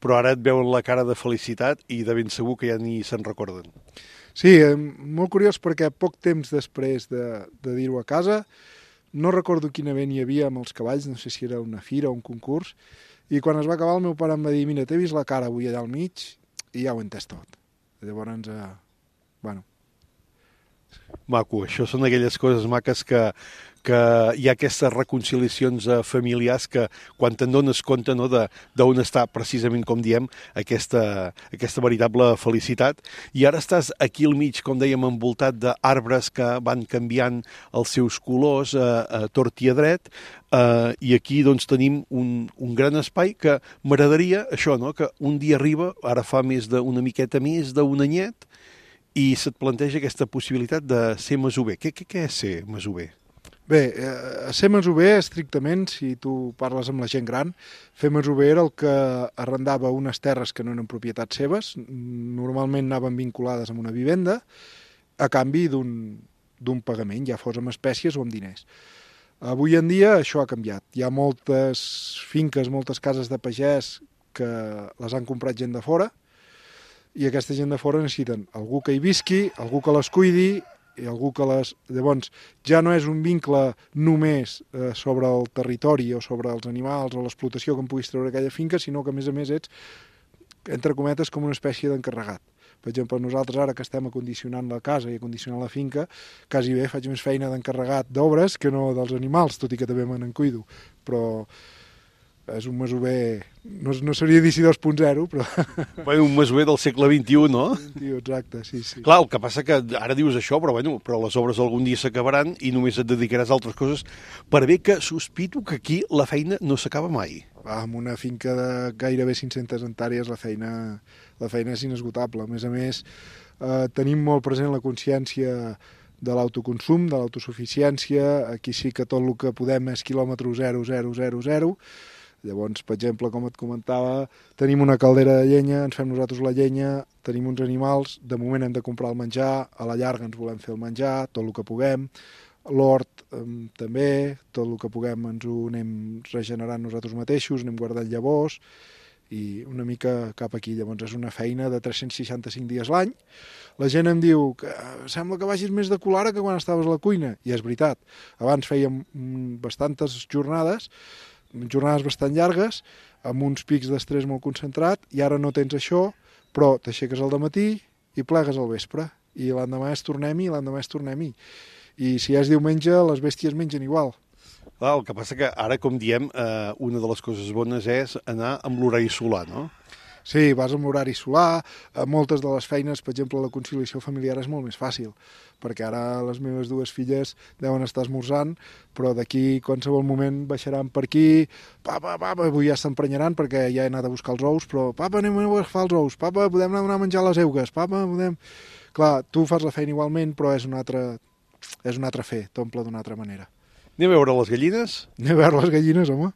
Però ara et veuen la cara de felicitat i de ben segur que ja ni se'n recorden. Sí, molt curiós perquè poc temps després de, de dir-ho a casa, no recordo quin event hi havia amb els cavalls, no sé si era una fira o un concurs, i quan es va acabar el meu pare em va dir, mira, t'he vist la cara avui allà al mig i ja ho he entès tot. Llavors, eh, bueno... Maco, això són aquelles coses maques que, que hi ha aquestes reconciliacions familiars que quan te'n dones compte, no, d'on està precisament, com diem, aquesta, aquesta veritable felicitat. I ara estàs aquí al mig, com dèiem, envoltat d'arbres que van canviant els seus colors a, a tort i a dret, eh, i aquí doncs tenim un, un gran espai que m'agradaria això, no, que un dia arriba, ara fa més d'una miqueta més d'un anyet, i se't planteja aquesta possibilitat de ser masover. Què, què, què és ser masover? Bé, eh, ser masover, estrictament, si tu parles amb la gent gran, fer masover era el que arrendava unes terres que no eren propietats seves, normalment anaven vinculades amb una vivenda, a canvi d'un pagament, ja fos amb espècies o amb diners. Avui en dia això ha canviat. Hi ha moltes finques, moltes cases de pagès que les han comprat gent de fora, i aquesta gent de fora necessiten algú que hi visqui, algú que les cuidi, i algú que les... Llavors, ja no és un vincle només eh, sobre el territori o sobre els animals o l'explotació que em puguis treure aquella finca, sinó que, a més a més, ets, entre cometes, com una espècie d'encarregat. Per exemple, nosaltres ara que estem acondicionant la casa i acondicionant la finca, quasi bé faig més feina d'encarregat d'obres que no dels animals, tot i que també me n'en cuido, però... és un masover, no, no seria dir dos punt zero, però... Bueno, un masover del segle vint-i-u, no? vint-i-u, exacte, sí, sí. Clar, el que passa que ara dius això, però, bueno, però les obres algun dia s'acabaran i només et dedicaràs a altres coses, per bé que sospito que aquí la feina no s'acaba mai. Ah, amb una finca de gairebé cinc-centes hectàrees la feina, la feina és inesgotable. A més a més, eh, tenim molt present la consciència de l'autoconsum, de l'autosuficiència. Aquí sí que tot el que podem és quilòmetre zero, zero, zero, zero. Llavors, per exemple, com et comentava, tenim una caldera de llenya, ens fem nosaltres la llenya, tenim uns animals, de moment hem de comprar el menjar, a la llarga ens volem fer el menjar, tot el que puguem, l'hort eh, també, tot el que puguem ens ho anem regenerant nosaltres mateixos, anem guardant llavors, i una mica cap aquí. Llavors és una feina de tres-cents seixanta-cinc dies l'any. La gent em diu que sembla que vagis més de colara que quan estaves a la cuina, i és veritat. Abans fèiem bastantes jornades, jornades bastant llargues, amb uns pics d'estrès molt concentrat, i ara no tens això, però t'aixeques al dematí i plegues al vespre, i l'endemà és tornem-hi, i l'endemà és tornem-hi. I si és diumenge, les bèsties mengen igual. Clar, el que passa que ara, com diem, eh, una de les coses bones és anar amb l'horari solar, no? Sí, vas amb l'horari solar, a moltes de les feines, per exemple, la conciliació familiar és molt més fàcil, perquè ara les meves dues filles deuen estar esmorzant, però d'aquí qualsevol moment baixaran per aquí, papa, papa, avui ja s'emprenyaran perquè ja he anat a buscar els ous, però papa, anem a agafar els ous, papa, podem anar a menjar les eugues, papa, podem... Clar, tu fas la feina igualment, però és un altre, és un altre fer, t'omple d'una altra manera. Anem a veure les gallines? Anem a veure les gallines, home.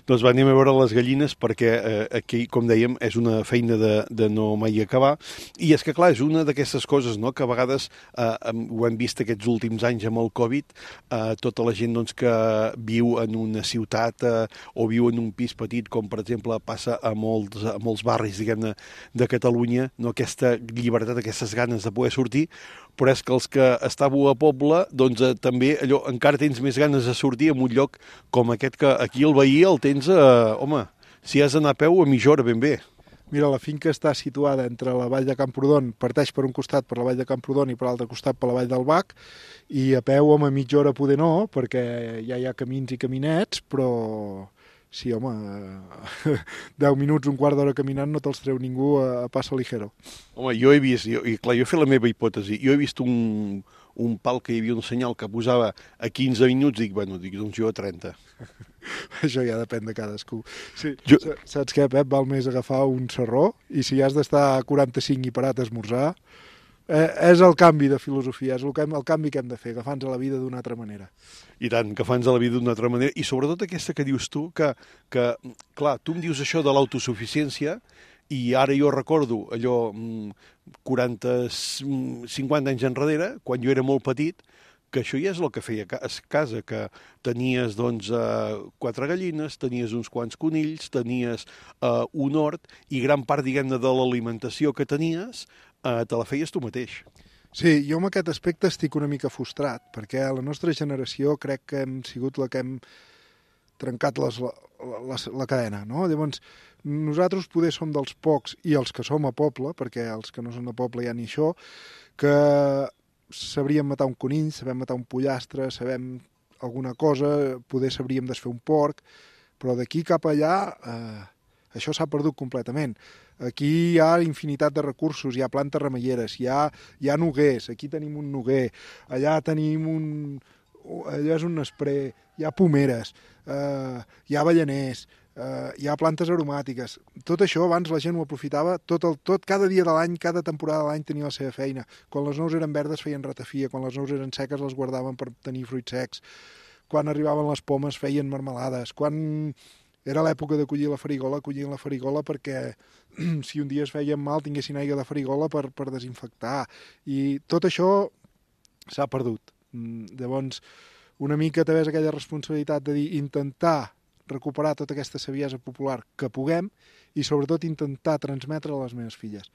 Doncs va, anem a veure les gallines perquè eh, aquí, com dèiem, és una feina de, de no mai acabar. I és que, clar, és una d'aquestes coses, no?, que a vegades eh, ho hem vist aquests últims anys amb el Covid, eh, tota la gent doncs, que viu en una ciutat eh, o viu en un pis petit, com per exemple passa a molts, a molts barris, diguem-ne, de Catalunya, no?, aquesta llibertat, aquestes ganes de poder sortir, però és que els que estàveu a poble, doncs eh, també allò, encara tens més ganes de sortir en un lloc com aquest, que aquí el veí el tens, eh, home, si has d'anar a peu a mitja hora ben bé. Mira, la finca està situada entre la vall de Camprodon, parteix per un costat per la vall de Camprodon i per l'altre costat per la vall del Bac, i a peu, home, mitja hora poder no, perquè ja hi ha camins i caminets, però sí, home, deu minuts, un quart d'hora caminant no te'ls treu ningú a, a passo ligero. Home, jo he vist, jo, i clar, jo he fet la meva hipòtesi, jo he vist un, un pal que hi havia un senyal que posava a quinze minuts, dic, bueno, dic, doncs jo a trenta. Això ja depèn de cadascú. Sí, jo... Saps què, Pep? Val més agafar un serró i si has d'estar a quaranta-cinc i parat a esmorzar, eh, és el canvi de filosofia, és el, que, el canvi que hem de fer, agafar-nos a la vida d'una altra manera. I tant, agafar-nos a la vida d'una altra manera, i sobretot aquesta que dius tu, que, que clar, tu em dius això de l'autosuficiència, i ara jo recordo allò quaranta, cinquanta anys enrere, quan jo era molt petit, que això ja és el que feia a casa, que tenies doncs, eh, quatre gallines, tenies uns quants conills, tenies eh, un hort, i gran part, diguem-ne, de l'alimentació que tenies eh, te la feies tu mateix. Sí, jo amb aquest aspecte estic una mica frustrat, perquè a la nostra generació crec que hem sigut la que hem trencat les, la, la, la cadena, no? Llavors, nosaltres poder som dels pocs, i els que som a poble, perquè els que no són a poble ja ni això, que sabríem matar un conill, sabem matar un pollastre, sabem alguna cosa, poder sabríem desfer un porc, però d'aquí cap allà eh, això s'ha perdut completament. Aquí hi ha infinitat de recursos, hi ha plantes remeieres, hi ha, hi ha noguers, aquí tenim un noguer, allà tenim un... allà és un nesprer, hi ha pomeres, eh, hi ha avellaners, eh, hi ha plantes aromàtiques. Tot això abans la gent ho aprofitava, tot el, tot, cada dia de l'any, cada temporada de l'any tenia la seva feina. Quan les nous eren verdes feien ratafia, quan les nous eren seques les guardaven per tenir fruits secs, quan arribaven les pomes feien marmelades, quan era l'època de collir la farigola, collien la farigola perquè si un dia es feien mal tinguessin aigua de farigola per, per desinfectar. I tot això s'ha perdut. Llavors, una mica també és aquella responsabilitat de dir, intentar recuperar tota aquesta saviesa popular que puguem i sobretot intentar transmetre a les meves filles.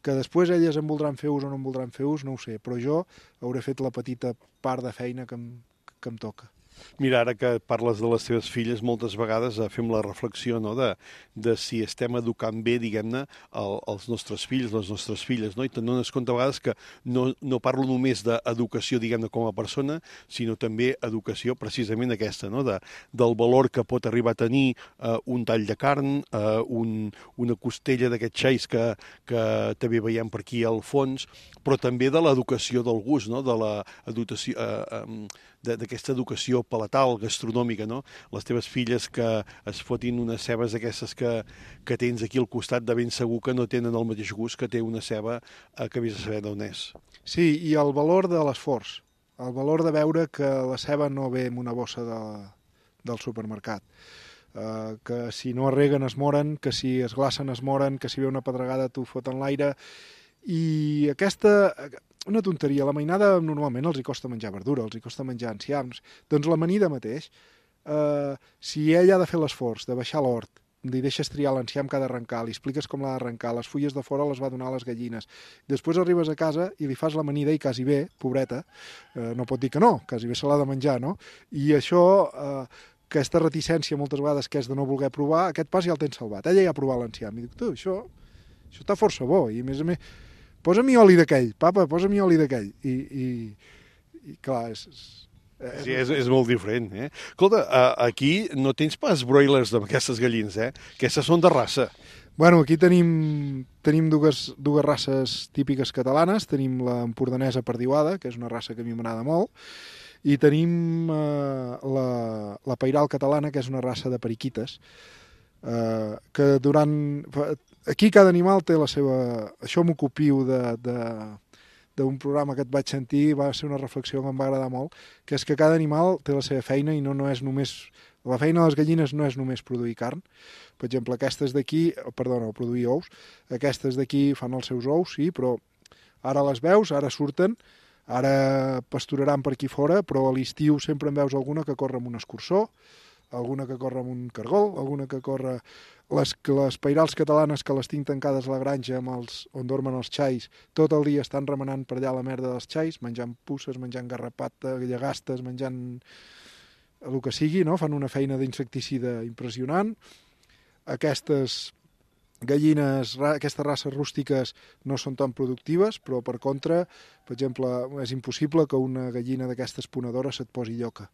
Que després elles en voldran fer ús o no en voldran fer ús, no ho sé, però jo hauré fet la petita part de feina que em, que em toca. Mira, ara que parles de les teves filles, moltes vegades fem la reflexió, no?, de, de si estem educant bé, diguem-ne, el, els nostres fills, les nostres filles, no? I te'n dones compte a vegades que no, no parlo només d'educació, diguem-ne, com a persona, sinó també educació precisament aquesta, no?, de, del valor que pot arribar a tenir eh, un tall de carn, eh, un, una costella d'aquests xais que, que també veiem per aquí al fons, però també de l'educació del gust, no?, de la educació... Eh, eh, d'aquesta educació palatal, gastronòmica, no? Les teves filles que es fotin unes cebes d'aquestes que, que tens aquí al costat, de ben segur que no tenen el mateix gust que té una ceba eh, que vés a saber d'on és. Sí, i el valor de l'esforç. el valor de veure que la ceba no ve en una bossa de, del supermercat, uh, que si no es reguen es moren, que si es glacen es moren, que si ve una pedregada t'ho foten l'aire, i aquesta... Una tonteria, la mainada normalment els hi costa menjar verdura, els hi costa menjar enciams, doncs l'amanida mateix, uh, si ell ha de fer l'esforç de baixar l'hort, li deixes triar l'enciam que ha d'arrencar, li expliques com l'ha d'arrencar, les fulles de fora les va donar a les gallines, després arribes a casa i li fas l'amanida i quasi bé, pobreta, uh, no pot dir que no, quasi bé se l'ha de menjar, no? I això... Uh, aquesta reticència moltes vegades que és de no voler provar, aquest pas ja el tens salvat. Ella ja ha provat l'enciam i dic, tu, això, això està força bo, i a més a més, posa-m'hi oli d'aquell, papa, posa-m'hi oli d'aquell. I, i, i clar, és... és... Sí, és, és molt diferent, eh? Escolta, aquí no tens pas broilers d'aquestes gallines, eh? Aquestes són de raça. Bueno, aquí tenim, tenim dues, dues races típiques catalanes, tenim la empordanesa perdiuada, que és una raça que a mi m'agrada molt, i tenim eh, la, la pairal catalana, que és una raça de periquites, eh, que durant... Aquí cada animal té la seva... Això m'ho copio de, de, d'un programa que et vaig sentir, va ser una reflexió que em va agradar molt, que és que cada animal té la seva feina i no, no és només... La feina de les gallines no és només produir carn. Per exemple, aquestes d'aquí, perdona, produir ous, aquestes d'aquí fan els seus ous, sí, però ara les veus, ara surten, ara pasturaran per aquí fora, però a l'estiu sempre en veus alguna que corre amb un escurçó, alguna que corre amb un cargol, alguna que corre... Les, les pairals catalanes que les tinc tancades a la granja amb els, on dormen els xais, tot el dia estan remenant per allà la merda dels xais, menjant pusses, menjant garrapata, llagastes, menjant el que sigui, no? Fan una feina d'insecticida impressionant. Aquestes gallines, aquestes races rústiques no són tan productives, però per contra, per exemple, és impossible que una gallina d'aquestes ponedores se't posi lloca.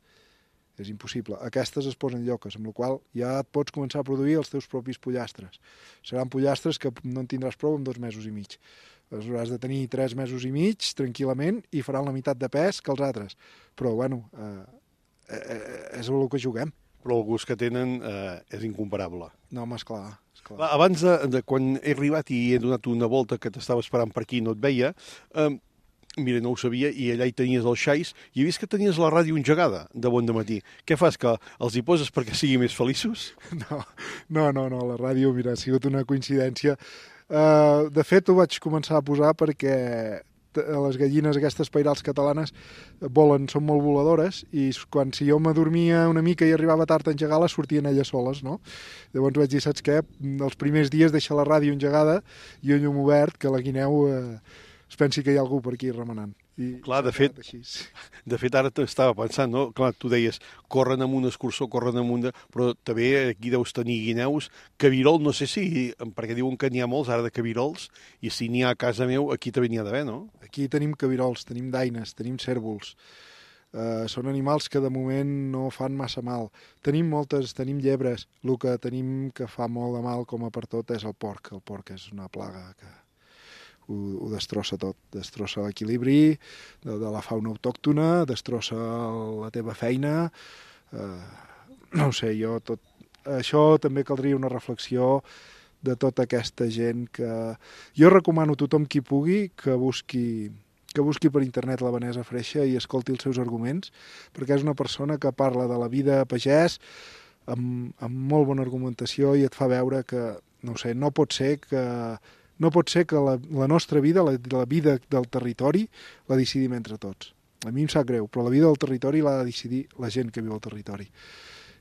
És impossible. Aquestes es posen lloques, amb la qual ja et pots començar a produir els teus propis pollastres. Seran pollastres que no en tindràs prou en dos mesos i mig. Les hauràs de tenir tres mesos i mig, tranquil·lament, i faran la meitat de pes que els altres. Però, bueno, eh, eh, és el que juguem. Però el gust que tenen eh, és incomparable. No, home, esclar. esclar. Abans de, de quan he arribat i he donat una volta que t'estava esperant per aquí i no et veia, eh, mira, no ho sabia, i allà hi tenies els xais, i he vist que tenies la ràdio engegada de bon dematí. Què fas, que els hi poses perquè siguin més feliços? No, no, no, no, la ràdio, mira, ha sigut una coincidència. Uh, de fet, ho vaig començar a posar perquè les gallines, aquestes pairals catalanes, volen, són molt voladores, i quan si jo m'adormia una mica i arribava tard a engegar-les, sortien elles soles, no? Llavors vaig dir, saps què? Els primers dies deixa la ràdio engegada i un llum obert, que la guineu... Eh, es pensi que hi ha algú per aquí remenant. I clar, de fet, de fet, ara t'estava pensant, no? Clar, tu deies, corren amb un escurçó, corren amb un... De... Però també aquí deus tenir guineus, cabirol, no sé si, perquè diuen que n'hi ha molts ara de cabirols, i si n'hi ha a casa meu, aquí també n'hi ha d'haver, no? Aquí tenim cabirols, tenim daines, tenim cèrvols. Uh, són animals que de moment no fan massa mal. Tenim moltes, tenim llebres. El que tenim que fa molt de mal, com a per tot, és el porc. El porc és una plaga que... Ho, ho destrossa tot, destrossa l'equilibri de, de la fauna autòctona, destrossa la teva feina, eh, no ho sé, jo tot... Això també caldria una reflexió de tota aquesta gent que... Jo recomano a tothom qui pugui que busqui, que busqui per internet la Vanessa Freixa i escolti els seus arguments, perquè és una persona que parla de la vida a pagès amb, amb molt bona argumentació i et fa veure que, no ho sé, no pot ser que... No pot ser que la, la nostra vida, la, la vida del territori, la decidim entre tots. A mi em sap greu, però la vida del territori l'ha de decidir la gent que viu al territori.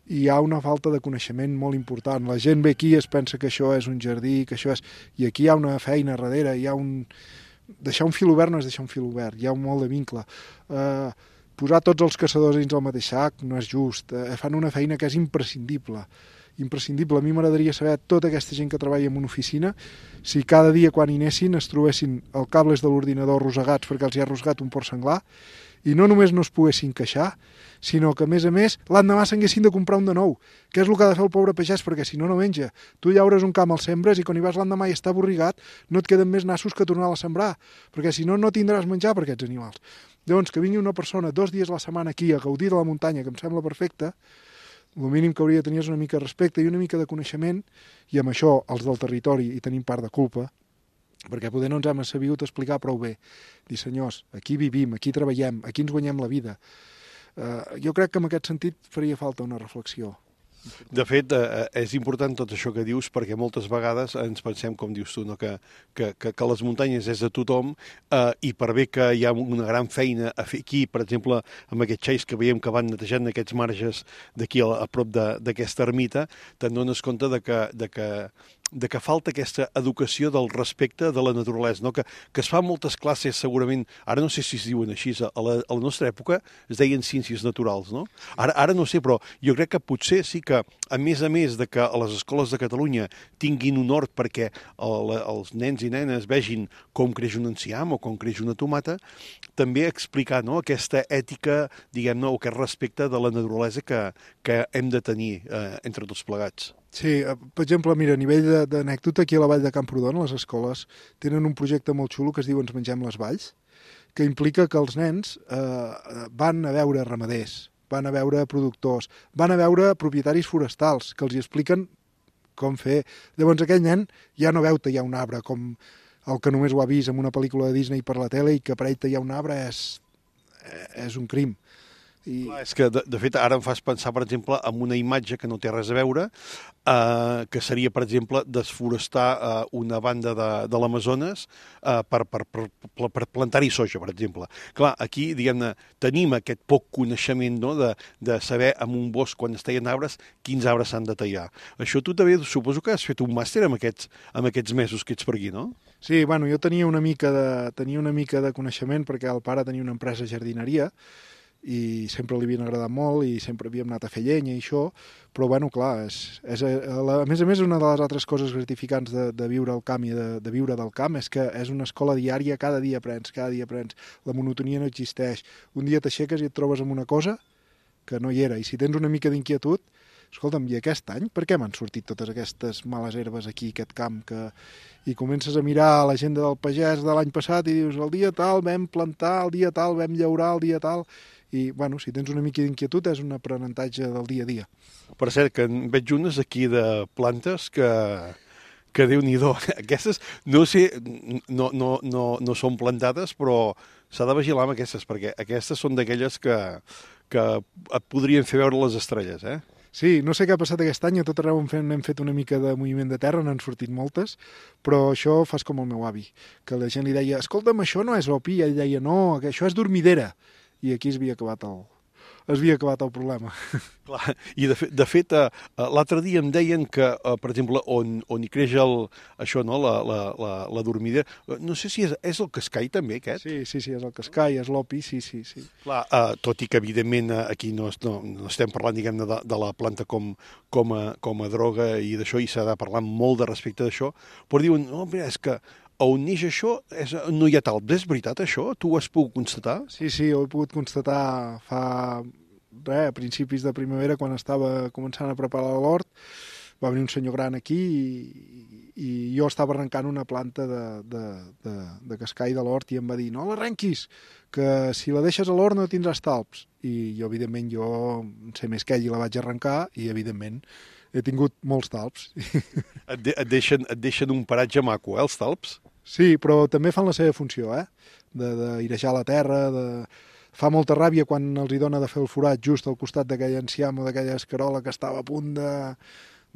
I hi ha una falta de coneixement molt important. La gent ve aquí i es pensa que això és un jardí, que això és... I aquí hi ha una feina darrere, hi ha un... Deixar un fil obert no és deixar un fil obert, hi ha un molt de vincle. Uh, posar tots els caçadors dins del mateix sac no és just. Uh, fan una feina que és imprescindible. imprescindible. A mi m'agradaria saber tota aquesta gent que treballa en una oficina, si cada dia quan hi anessin es trobessin els cables de l'ordinador rosegats perquè els hi ha rosgat un porc senglar, i no només no es poguessin queixar, sinó que a més a més l'endemà s'haguessin de comprar un de nou, que és el que ha de fer el pobre pagès, perquè si no, no menja. Tu llaures un camp, el sembres, i quan hi vas l'endemà i està borrigat, no et queden més nassos que tornar-la a sembrar, perquè si no, no tindràs menjar per aquests animals. Llavors, que vingui una persona dos dies a la setmana aquí a gaudir de la muntanya, que em sembla perfecte, el mínim que hauria de tenir és una mica de respecte i una mica de coneixement, i amb això els del territori hi tenim part de culpa, perquè poder no ens hem sabut explicar prou bé. Dir, senyors, aquí vivim, aquí treballem, aquí ens guanyem la vida. Uh, jo crec que en aquest sentit faria falta una reflexió. De fet, eh, és important tot això que dius perquè moltes vegades ens pensem, com dius tu, no? que, que, que, que les muntanyes és de tothom eh, i per bé que hi ha una gran feina a fer aquí, per exemple, amb aquests xais que veiem que van netejant aquests marges d'aquí a, a prop d'aquesta ermita, te'n dones compte de que, de que de que falta aquesta educació del respecte de la naturalesa, no? que, que es fan moltes classes segurament, ara no sé si es diuen així, a la, a la nostra època es deien ciències naturals, no? Ara, ara no sé, però jo crec que potser sí que, a més a més de que a les escoles de Catalunya tinguin un hort perquè el, els nens i nenes vegin com creix un enciam o com creix una tomata, també explicar, no? aquesta ètica, diguem-ne, o aquest respecte de la naturalesa que, que hem de tenir eh, entre tots plegats. Sí, per exemple, mira, a nivell d'anècdota, aquí a la vall de Camprodon, les escoles tenen un projecte molt xulo que es diu Ens mengem les valls, que implica que els nens eh, van a veure ramaders, van a veure productors, van a veure propietaris forestals, que els hi expliquen com fer. Llavors aquell nen ja no veu tallar un arbre com el que només ho ha vist en una pel·lícula de Disney per la tele i que per ell tallar un arbre és, és un crim. I... Clar, és que, de, de fet, ara em fas pensar, per exemple, en una imatge que no té res a veure, eh, que seria, per exemple, desforestar eh, una banda de, de l'Amazones eh, per, per, per, per plantar-hi soja, per exemple. Clar, aquí, diguem-ne, tenim aquest poc coneixement, no?, de, de saber en un bosc, quan es tallen arbres, quins arbres s'han de tallar. Això tu també suposo que has fet un màster amb aquests, amb aquests mesos que ets per aquí, no? Sí, bueno, jo tenia una mica de, tenia una mica de coneixement perquè el pare tenia una empresa de jardineria i sempre li havien agradat molt i sempre havíem anat a fer llenya i això, però bueno, clar, és, és, a més a més una de les altres coses gratificants de, de viure al camp i de, de viure del camp és que és una escola diària, cada dia aprens, cada dia aprens, la monotonia no existeix, un dia t'aixeques i et trobes amb una cosa que no hi era, i si tens una mica d'inquietud, escolta'm, i aquest any per què m'han sortit totes aquestes males herbes aquí, aquest camp, que... i comences a mirar l'agenda del pagès de l'any passat i dius, el dia tal vam plantar, el dia tal vam llaurar, el dia tal... i, bueno, si tens una mica d'inquietud és un aprenentatge del dia a dia. Per cert, que en veig unes aquí de plantes que, que Déu-n'hi-do. Aquestes, no sé, no, no, no, no són plantades, però s'ha de vigilar amb aquestes, perquè aquestes són d'aquelles que, que et podrien fer veure les estrelles, eh? Sí, no sé què ha passat aquest any, a tot arreu hem, hem fet una mica de moviment de terra, n'han sortit moltes, però això fas com el meu avi, que la gent li deia, escolta'm, això no és opi, i ell deia, no, que això és dormidera. I aquí es havia acabat el, es havia acabat el problema. Clar, i de fet, de fet uh, l'altre dia em deien que, uh, per exemple, on, on hi creix el, això, no, la, la, la, la dormidera, no sé si és, és el cascai també, aquest? Sí, sí, sí, és el cascai, és l'opi, sí, sí, sí. Clar, uh, tot i que, evidentment, uh, aquí no, no, no estem parlant, diguem-ne, de, de la planta com, com, a, com a droga i d'això, i s'ha de parlar molt de respecte d'això, però diuen, no, mira, és que on neix això és, no hi ha talps. És veritat això? Tu ho has pogut constatar? Sí, sí, ho he pogut constatar fa res, a principis de primavera, quan estava començant a preparar l'hort. Va venir un senyor gran aquí i, i jo estava arrencant una planta de, de, de, de cascai de l'hort i em va dir, no l'arrenquis, que si la deixes a l'hort no tindràs talps. I jo, evidentment, jo no sé més que ell i la vaig arrencar i, evidentment, he tingut molts talps. Et, de, et, deixen, et deixen un paratge maco, eh, els talps? Sí, però també fan la seva funció, eh? D'airejar la terra, de... Fa molta ràbia quan els hi dona de fer el forat just al costat d'aquell enciam o d'aquella escarola que estava a punt de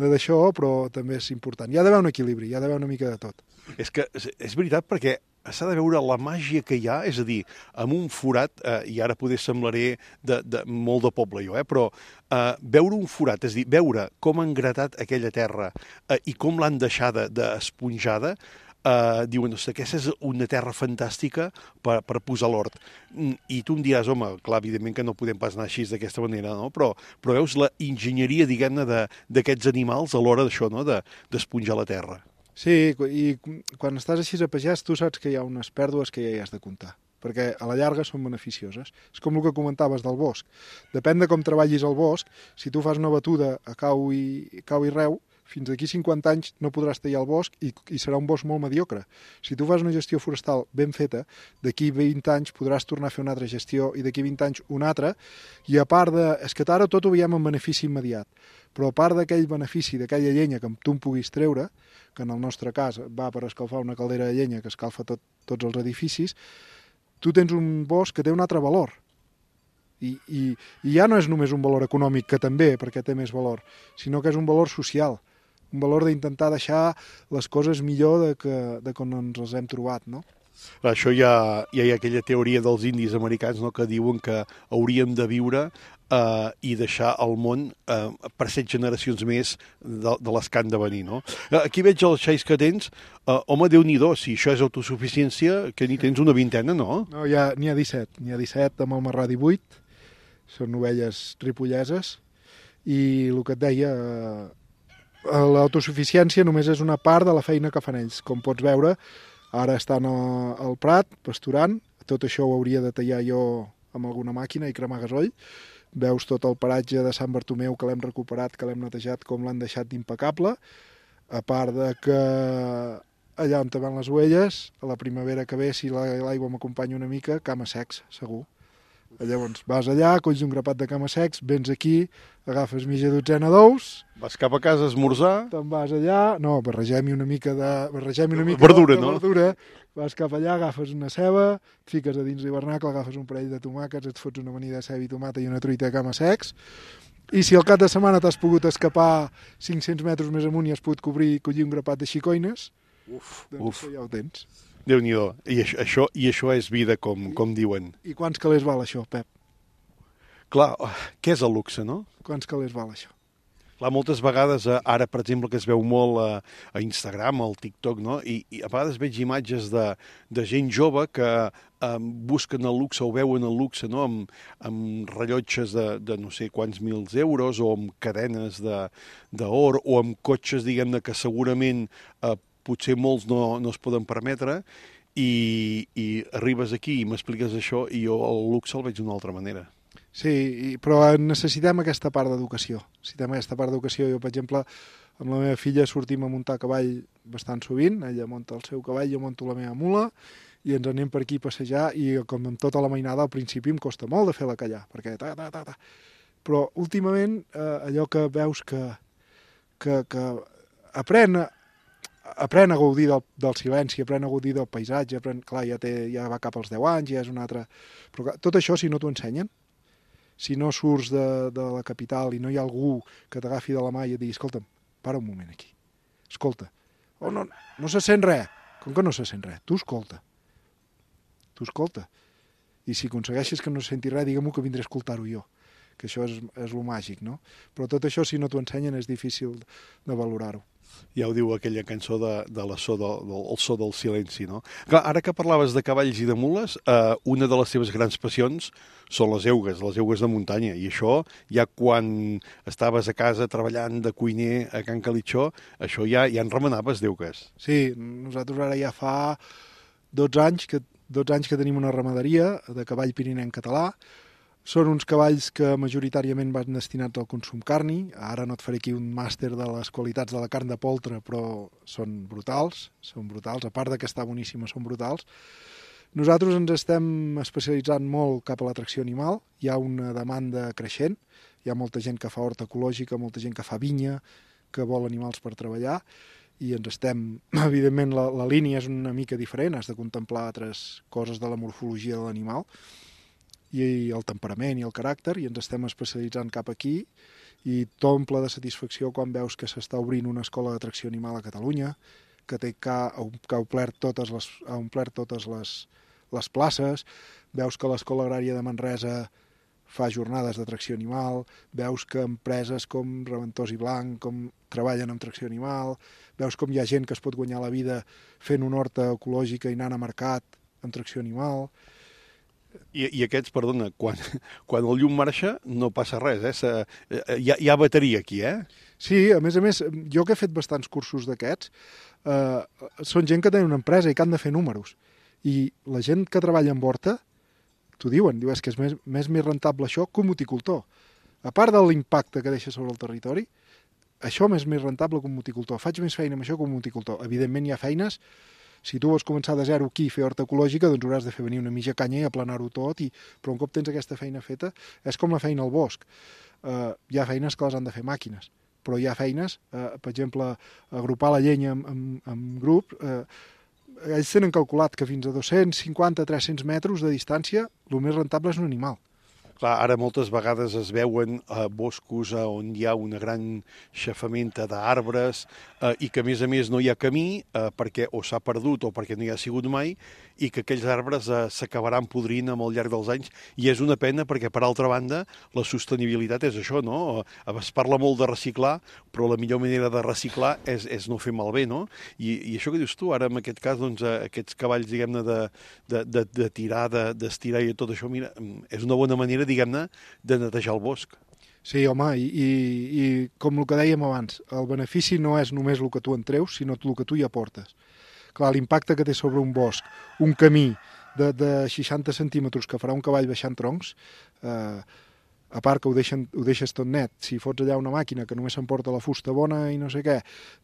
de d'això, però també és important. Hi ha d'haver un equilibri, hi ha d'haver una mica de tot. És que és veritat, perquè s'ha de veure la màgia que hi ha, és a dir, amb un forat, eh, i ara poder semblaré de, de, molt de poble jo, eh, però eh, veure un forat, és a dir, veure com han gratat aquella terra eh, i com l'han deixada d'esponjada, Uh, diuen, ostres, aquesta és una terra fantàstica per, per posar l'hort. I tu em diràs, home, clar, evidentment que no podem pas anar així d'aquesta manera, no? Però, però veus la enginyeria, diguem-ne, d'aquests animals a l'hora d'això, no? D'esponjar la terra. Sí, i quan estàs així a pagès, tu saps que hi ha unes pèrdues que ja hi has de comptar, perquè a la llarga són beneficioses. És com el que comentaves del bosc. Depèn de com treballis el bosc, si tu fas una batuda a cau i, cau i reu, fins d'aquí cinquanta anys no podràs tallar el bosc i, i serà un bosc molt mediocre. Si tu fas una gestió forestal ben feta, d'aquí vint anys podràs tornar a fer una altra gestió i d'aquí vint anys una altra, i a part de... És que ara tot ho veiem en benefici immediat, però a part d'aquell benefici, d'aquella llenya que tu en puguis treure, que en el nostre cas va per escalfar una caldera de llenya que escalfa tot, tots els edificis, tu tens un bosc que té un altre valor. I, i, i ja no és només un valor econòmic, que també, perquè té més valor, sinó que és un valor social, un valor d'intentar deixar les coses millor de, que, de com ens les hem trobat, no? Això ja, ja hi ha aquella teoria dels indis americans, no?, que diuen que hauríem de viure eh, i deixar el món eh, per set generacions més de, de les que han de venir, no? Aquí veig els xais que tens. Eh, home, Déu-n'hi-do, si això és autosuficiència, que n'hi tens una vintena, no? No, ja, n'hi ha disset, n'hi ha disset amb el marrà divuit, són ovelles ripolleses, i el que et deia, eh, l'autosuficiència només és una part de la feina que fan ells. Com pots veure, ara estan al prat, pasturant, tot això ho hauria de tallar jo amb alguna màquina i cremar gasoll. Veus tot el paratge de Sant Bartomeu que l'hem recuperat, que l'hem netejat, com l'han deixat d'impecable, a part de que allà on te van les ovelles, a la primavera que ve, si l'aigua m'acompanya una mica, cama secs, segur. Llavors vas allà, colls un grapat de cama secs, vens aquí, agafes mitja dotzena d'ous... Vas cap a casa a esmorzar... Te'n vas allà... No, barregem-hi una mica de... Barregem una mica verdura, de, de no? verdura, vas cap allà, agafes una ceba, et fiques a dins l'hivernacle, agafes un parell de tomàquets, et fots una amanida de ceba i tomata i una truita de cama secs, i si al cap de setmana t'has pogut escapar cinc-cents metres més amunt i has pogut cobrir i collir un grapat de xicoines, uf, doncs uf. ja ho tens. Déu-n'hi-do. I això, això, i això és vida, com, com diuen. I quants calés val això, Pep? Clar, què és el luxe, no? Quants calés val això? Clar, moltes vegades, ara, per exemple, que es veu molt a, a Instagram, al TikTok, no? I, i a vegades veig imatges de, de gent jove que um, busquen el luxe o veuen el luxe, no?, amb, amb rellotges de, de no sé quants mils euros o amb cadenes d'or o amb cotxes, diguem-ne, que segurament eh, potser molts no, no es poden permetre, i, i arribes aquí i m'expliques això i jo el luxe el veig d'una altra manera. Sí, i, però necessitem aquesta part d'educació. Necessitem aquesta part d'educació. Jo, per exemple, amb la meva filla sortim a muntar a cavall bastant sovint, ella munta el seu cavall, jo munto la meva mula, i ens anem per aquí a passejar, i com amb tota la mainada al principi em costa molt de fer-la callar, perquè ta, ta, ta, ta. Però últimament eh, allò que veus que, que, que aprèn a aprèn a gaudir del, del silenci, aprèn a gaudir del paisatge, aprèn, clar, ja, té, ja va cap als deu anys, ja és un altre... Però clar, tot això, si no t'ho ensenyen, si no surts de, de la capital i no hi ha algú que t'agafi de la mà i et digui, escolta'm, para un moment aquí, escolta, oh, no, no se sent res, com que no se sent res, tu escolta, tu escolta, i si aconsegueixes que no se senti res, digue-m'ho que vindré a escoltar-ho jo, que això és, és lo màgic, no? Però tot això, si no t'ho ensenyen, és difícil de valorar-ho. Ja ho diu aquella cançó de, de la so del, del, el so del silenci, no? Clar, ara que parlaves de cavalls i de mules, eh, una de les seves grans passions són les eugues, les eugues de muntanya, i això ja quan estaves a casa treballant de cuiner a Can Calitxó, això ja, ja en remenaves d'eugues. Sí, nosaltres ara ja fa dotze anys que, dotze anys que tenim una ramaderia de cavall pirinenc català. Són uns cavalls que majoritàriament van destinats al consum carni. Ara no et faré aquí un màster de les qualitats de la carn de poltre, però són brutals, són brutals. A part de que està boníssima, són brutals. Nosaltres ens estem especialitzant molt cap a l'atracció animal. Hi ha una demanda creixent. Hi ha molta gent que fa horta ecològica, molta gent que fa vinya, que vol animals per treballar. I ens estem... Evidentment, la, la línia és una mica diferent. Has de contemplar altres coses de la morfologia de l'animal, i el temperament i el caràcter, i ens estem especialitzant cap aquí, i t'omple de satisfacció quan veus que s'està obrint una escola d'atracció animal a Catalunya, que, té, que, ha, que ha omplert totes, les, ha omplert totes les, les places, veus que l'Escola Agrària de Manresa fa jornades d'atracció animal, veus que empreses com Reventós i Blanc com treballen amb tracció animal, veus com hi ha gent que es pot guanyar la vida fent una horta ecològica i anant a mercat amb tracció animal. I, i aquests, perdona, quan, quan el llum marxa no passa res, eh? Se, hi, ha, hi ha bateria aquí, eh? Sí, a més a més, jo que he fet bastants cursos d'aquests, eh, són gent que tenen una empresa i que han de fer números. I la gent que treballa en horta, t'ho diuen, diu, és que és més, més, més rentable això que un moticultor. A part de l'impacte que deixa sobre el territori, això m'és més rentable que un moticultor. Faig més feina amb això que un moticultor. Evidentment hi ha feines, si tu vols començar de zero aquí i fer horta ecològica, doncs hauràs de fer venir una mitja canya i aplanar-ho tot, i... però un cop tens aquesta feina feta, és com la feina al bosc. Uh, hi ha feines que les han de fer màquines, però hi ha feines, uh, per exemple, agrupar la llenya en, en, en grup, uh, ells tenen calculat que fins a dos-cents cinquanta a tres-cents metres de distància el més rentable és un animal. Clar, ara moltes vegades es veuen eh, boscos eh, on hi ha una gran xafamenta d'arbres eh, i que, a més a més, no hi ha camí eh, perquè o s'ha perdut o perquè no hi ha sigut mai, i que aquells arbres eh, s'acabaran podrint amb el llarg dels anys, i és una pena perquè, per altra banda, la sostenibilitat és això, no? Es parla molt de reciclar, però la millor manera de reciclar és, és no fer malbé, no? I, i això que dius tu, ara en aquest cas, doncs, aquests cavalls, diguem-ne, de, de, de, de tirar, d'estirar de, i tot això, mira, és una bona manera, diguem-ne, de netejar el bosc. Sí, home, i, i, i com el que dèiem abans, el benefici no és només el que tu en treus, sinó el que tu hi aportes. Clar, l'impacte que té sobre un bosc, un camí de, de seixanta centímetres que farà un cavall baixant troncs, eh, a part que ho, deixen, ho deixes tot net, si fots allà una màquina que només s'emporta la fusta bona i no sé què,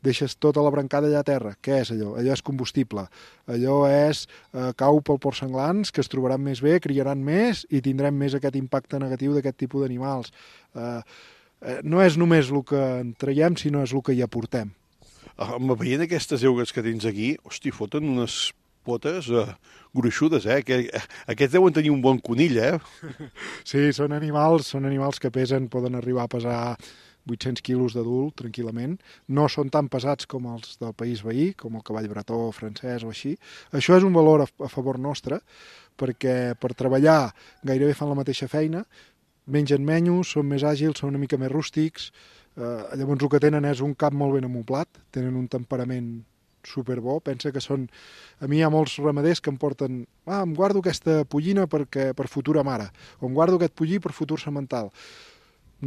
deixes tota la brancada allà a terra. Què és allò? Allò és combustible. Allò és eh, cau pel port senglans, que es trobaran més bé, criaran més i tindrem més aquest impacte negatiu d'aquest tipus d'animals. Eh, eh, no és només el que en traiem, sinó és el que hi aportem. Veient aquestes eugues que tens aquí, hosti, foten unes potes eh, gruixudes, eh? Que, eh, aquests deuen tenir un bon conill, eh? Sí, són animals, són animals que pesen, poden arribar a pesar vuit-cents quilos d'adult, tranquil·lament. No són tan pesats com els del país veí, com el cavall bretó, francès o així. Això és un valor a, a favor nostre, perquè per treballar gairebé fan la mateixa feina, mengen menys, són més àgils, són una mica més rústics. Eh, llavors el que tenen és un cap molt ben amoblat, tenen un temperament superbo. Pensa que són... A mi hi ha molts ramaders que em porten ah, em guardo aquesta pollina perquè, per futura mare, o em guardo aquest pollí per futur semental.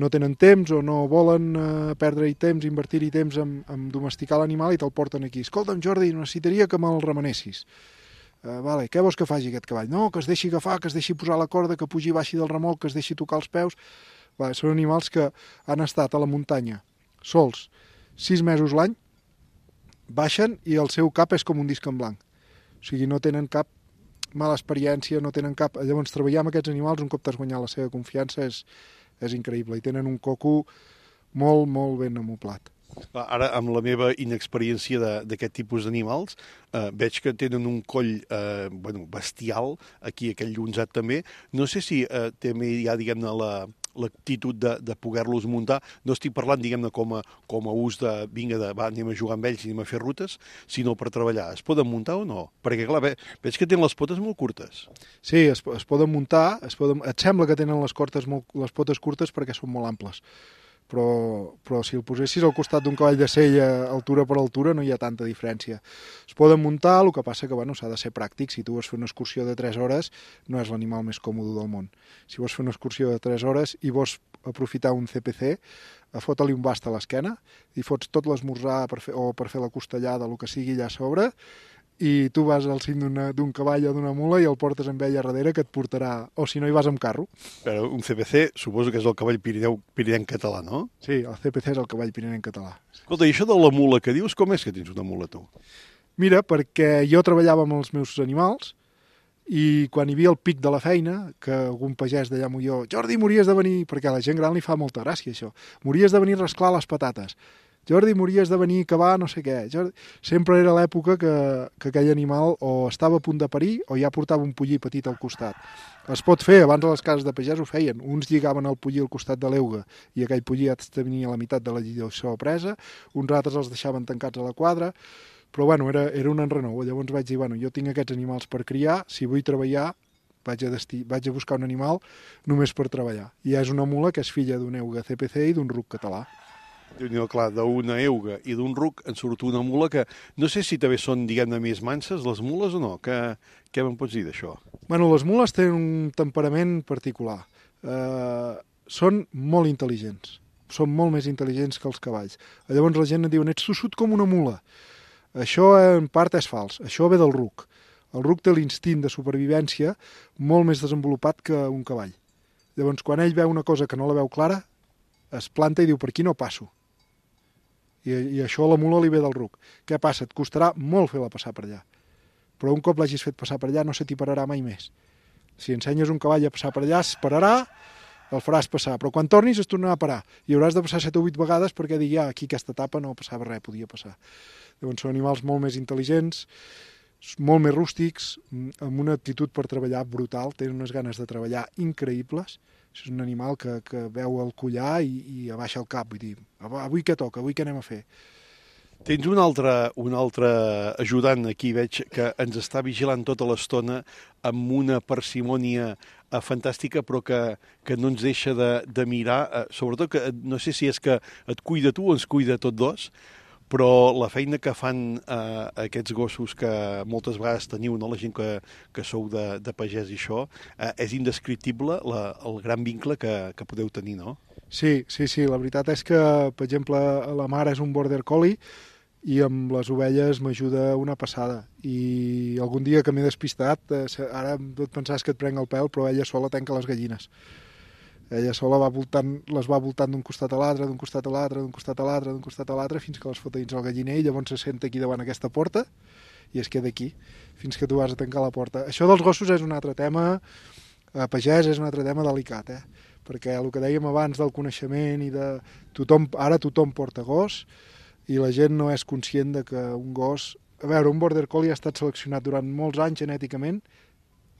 No tenen temps o no volen eh, perdre-hi temps, invertir-hi temps en, en domesticar l'animal i te'l porten aquí. Escolta'm, Jordi, necessitaria que me'l remenessis. Uh, vale, què vols que faci aquest cavall? No, que es deixi agafar, que es deixi posar la corda, que pugi i baixi del remolc, que es deixi tocar els peus. Vale, són animals que han estat a la muntanya sols sis mesos l'any, baixen i el seu cap és com un disc en blanc. O sigui, no tenen cap mala experiència, no tenen cap... Llavors, treballar amb aquests animals, un cop t'has guanyat la seva confiança, és, és increïble. I tenen un coco molt, molt ben amoblat. Ara, amb la meva inexperiència d'aquest tipus d'animals, eh, veig que tenen un coll eh, bueno, bestial, aquí aquell llonzat també. No sé si eh, també hi ha, diguem-ne, la... l'actitud de, de poder-los muntar. No estic parlant, diguem-ne, com, a, com a ús de vinga, de, va, anem a jugar amb ells i anem a fer rutes, sinó per treballar. Es poden muntar o no? Perquè, clar, ve, veig que tenen les potes molt curtes. Sí, es, es poden muntar, es poden, et sembla que tenen les, cortes molt, les potes curtes perquè són molt amples. Però, però si el posessis al costat d'un cavall de sella, altura per altura, no hi ha tanta diferència. Es poden muntar, el que passa que bueno, s'ha de ser pràctic. Si tu vols fer una excursió de tres hores, no és l'animal més còmode del món. Si vols fer una excursió de tres hores i vols aprofitar un C P C, fota-li un bast a l'esquena i fots tot l'esmorzar per fer, o per fer la costellada, el que sigui allà a sobre, i tu vas al cim d'un cavall o d'una mula i el portes amb ella darrere que et portarà, o si no hi vas amb carro. Però un C P C suposo que és el cavall pirineu, pirineu català, no? Sí, el C P C és el cavall pirineu català. Escolta, i això de la mula que dius, com és que tens una mula tu? Mira, perquè jo treballava amb els meus animals i quan hi havia el pic de la feina, que algun pagès d'allà m'ho jo, Jordi, mories de venir, perquè a la gent gran li fa molta gràcia això, mories de venir a rasclar les patates. Jordi, mories de venir a cavar no sé què. Jordi... Sempre era l'època que, que aquell animal o estava a punt de parir o ja portava un pollí petit al costat. Es pot fer, abans a les cases de pagès ho feien. Uns lligaven el pollí al costat de l'euga i aquell pollí ja tenia la meitat de la lligació presa, uns altres els deixaven tancats a la quadra, però bueno, era, era un enrenou. Llavors vaig dir, bueno, jo tinc aquests animals per criar, si vull treballar, vaig a, destí, vaig a buscar un animal només per treballar. I és una mula que és filla d'un euga C P C i d'un ruc català. Déu-n'hi-do, clar, d'una euga i d'un ruc en surt una mula que no sé si també són, diguem-ne, més manses les mules o no. Que, què me'n pots dir d'això? Bueno, les mules tenen un temperament particular. Eh, són molt intel·ligents. Són molt més intel·ligents que els cavalls. Llavors la gent et diu, ets tossut com una mula. Això en part és fals. Això ve del ruc. El ruc té l'instint de supervivència molt més desenvolupat que un cavall. Llavors, quan ell veu una cosa que no la veu clara, es planta i diu, per aquí no passo. I, i això a la mula li ve del ruc. Què passa? Et costarà molt fer-la passar per allà. Però un cop l'hagis fet passar per allà no se t'hi pararà mai més. Si ensenyes un cavall a passar per allà, es pararà, el faràs passar, però quan tornis es tornarà a parar i hauràs de passar set o vuit vegades perquè digui, ah, aquí aquesta etapa no passava res, podia passar. Llavors són animals molt més intel·ligents, molt més rústics, amb una actitud per treballar brutal, tenen unes ganes de treballar increïbles. És un animal que, que veu el collar i, i abaixa el cap, vull dir, avui què toca, avui què anem a fer? Tens un altre, un altre ajudant aquí, veig, que ens està vigilant tota l'estona amb una parsimònia eh, fantàstica, però que, que no ens deixa de, de mirar, eh, sobretot que no sé si és que et cuida tu o ens cuida tots dos, però la feina que fan eh, aquests gossos que moltes vegades teniu, no? La gent que, que sou de, de pagès i això, eh, és indescriptible la, el gran vincle que, que podeu tenir, no? Sí, sí, sí, la veritat és que, per exemple, la mare és un border collie i amb les ovelles m'ajuda una passada. I algun dia que m'he despistat, eh, ara et pensaves que et prenc el pèl, però ella sola tanca les gallines. Ella sola va voltant, les va voltant d'un costat a l'altre, d'un costat a l'altre, d'un costat a l'altre, d'un costat a l'altre, fins que les fot dins el galliner i llavors se senta aquí davant aquesta porta i es queda aquí, fins que tu vas a tancar la porta. Això dels gossos és un altre tema, a pagès és un altre tema delicat, eh? Perquè el que dèiem abans del coneixement i de tothom, ara tothom porta gos i la gent no és conscient de que un gos... A veure, un border collie ha estat seleccionat durant molts anys genèticament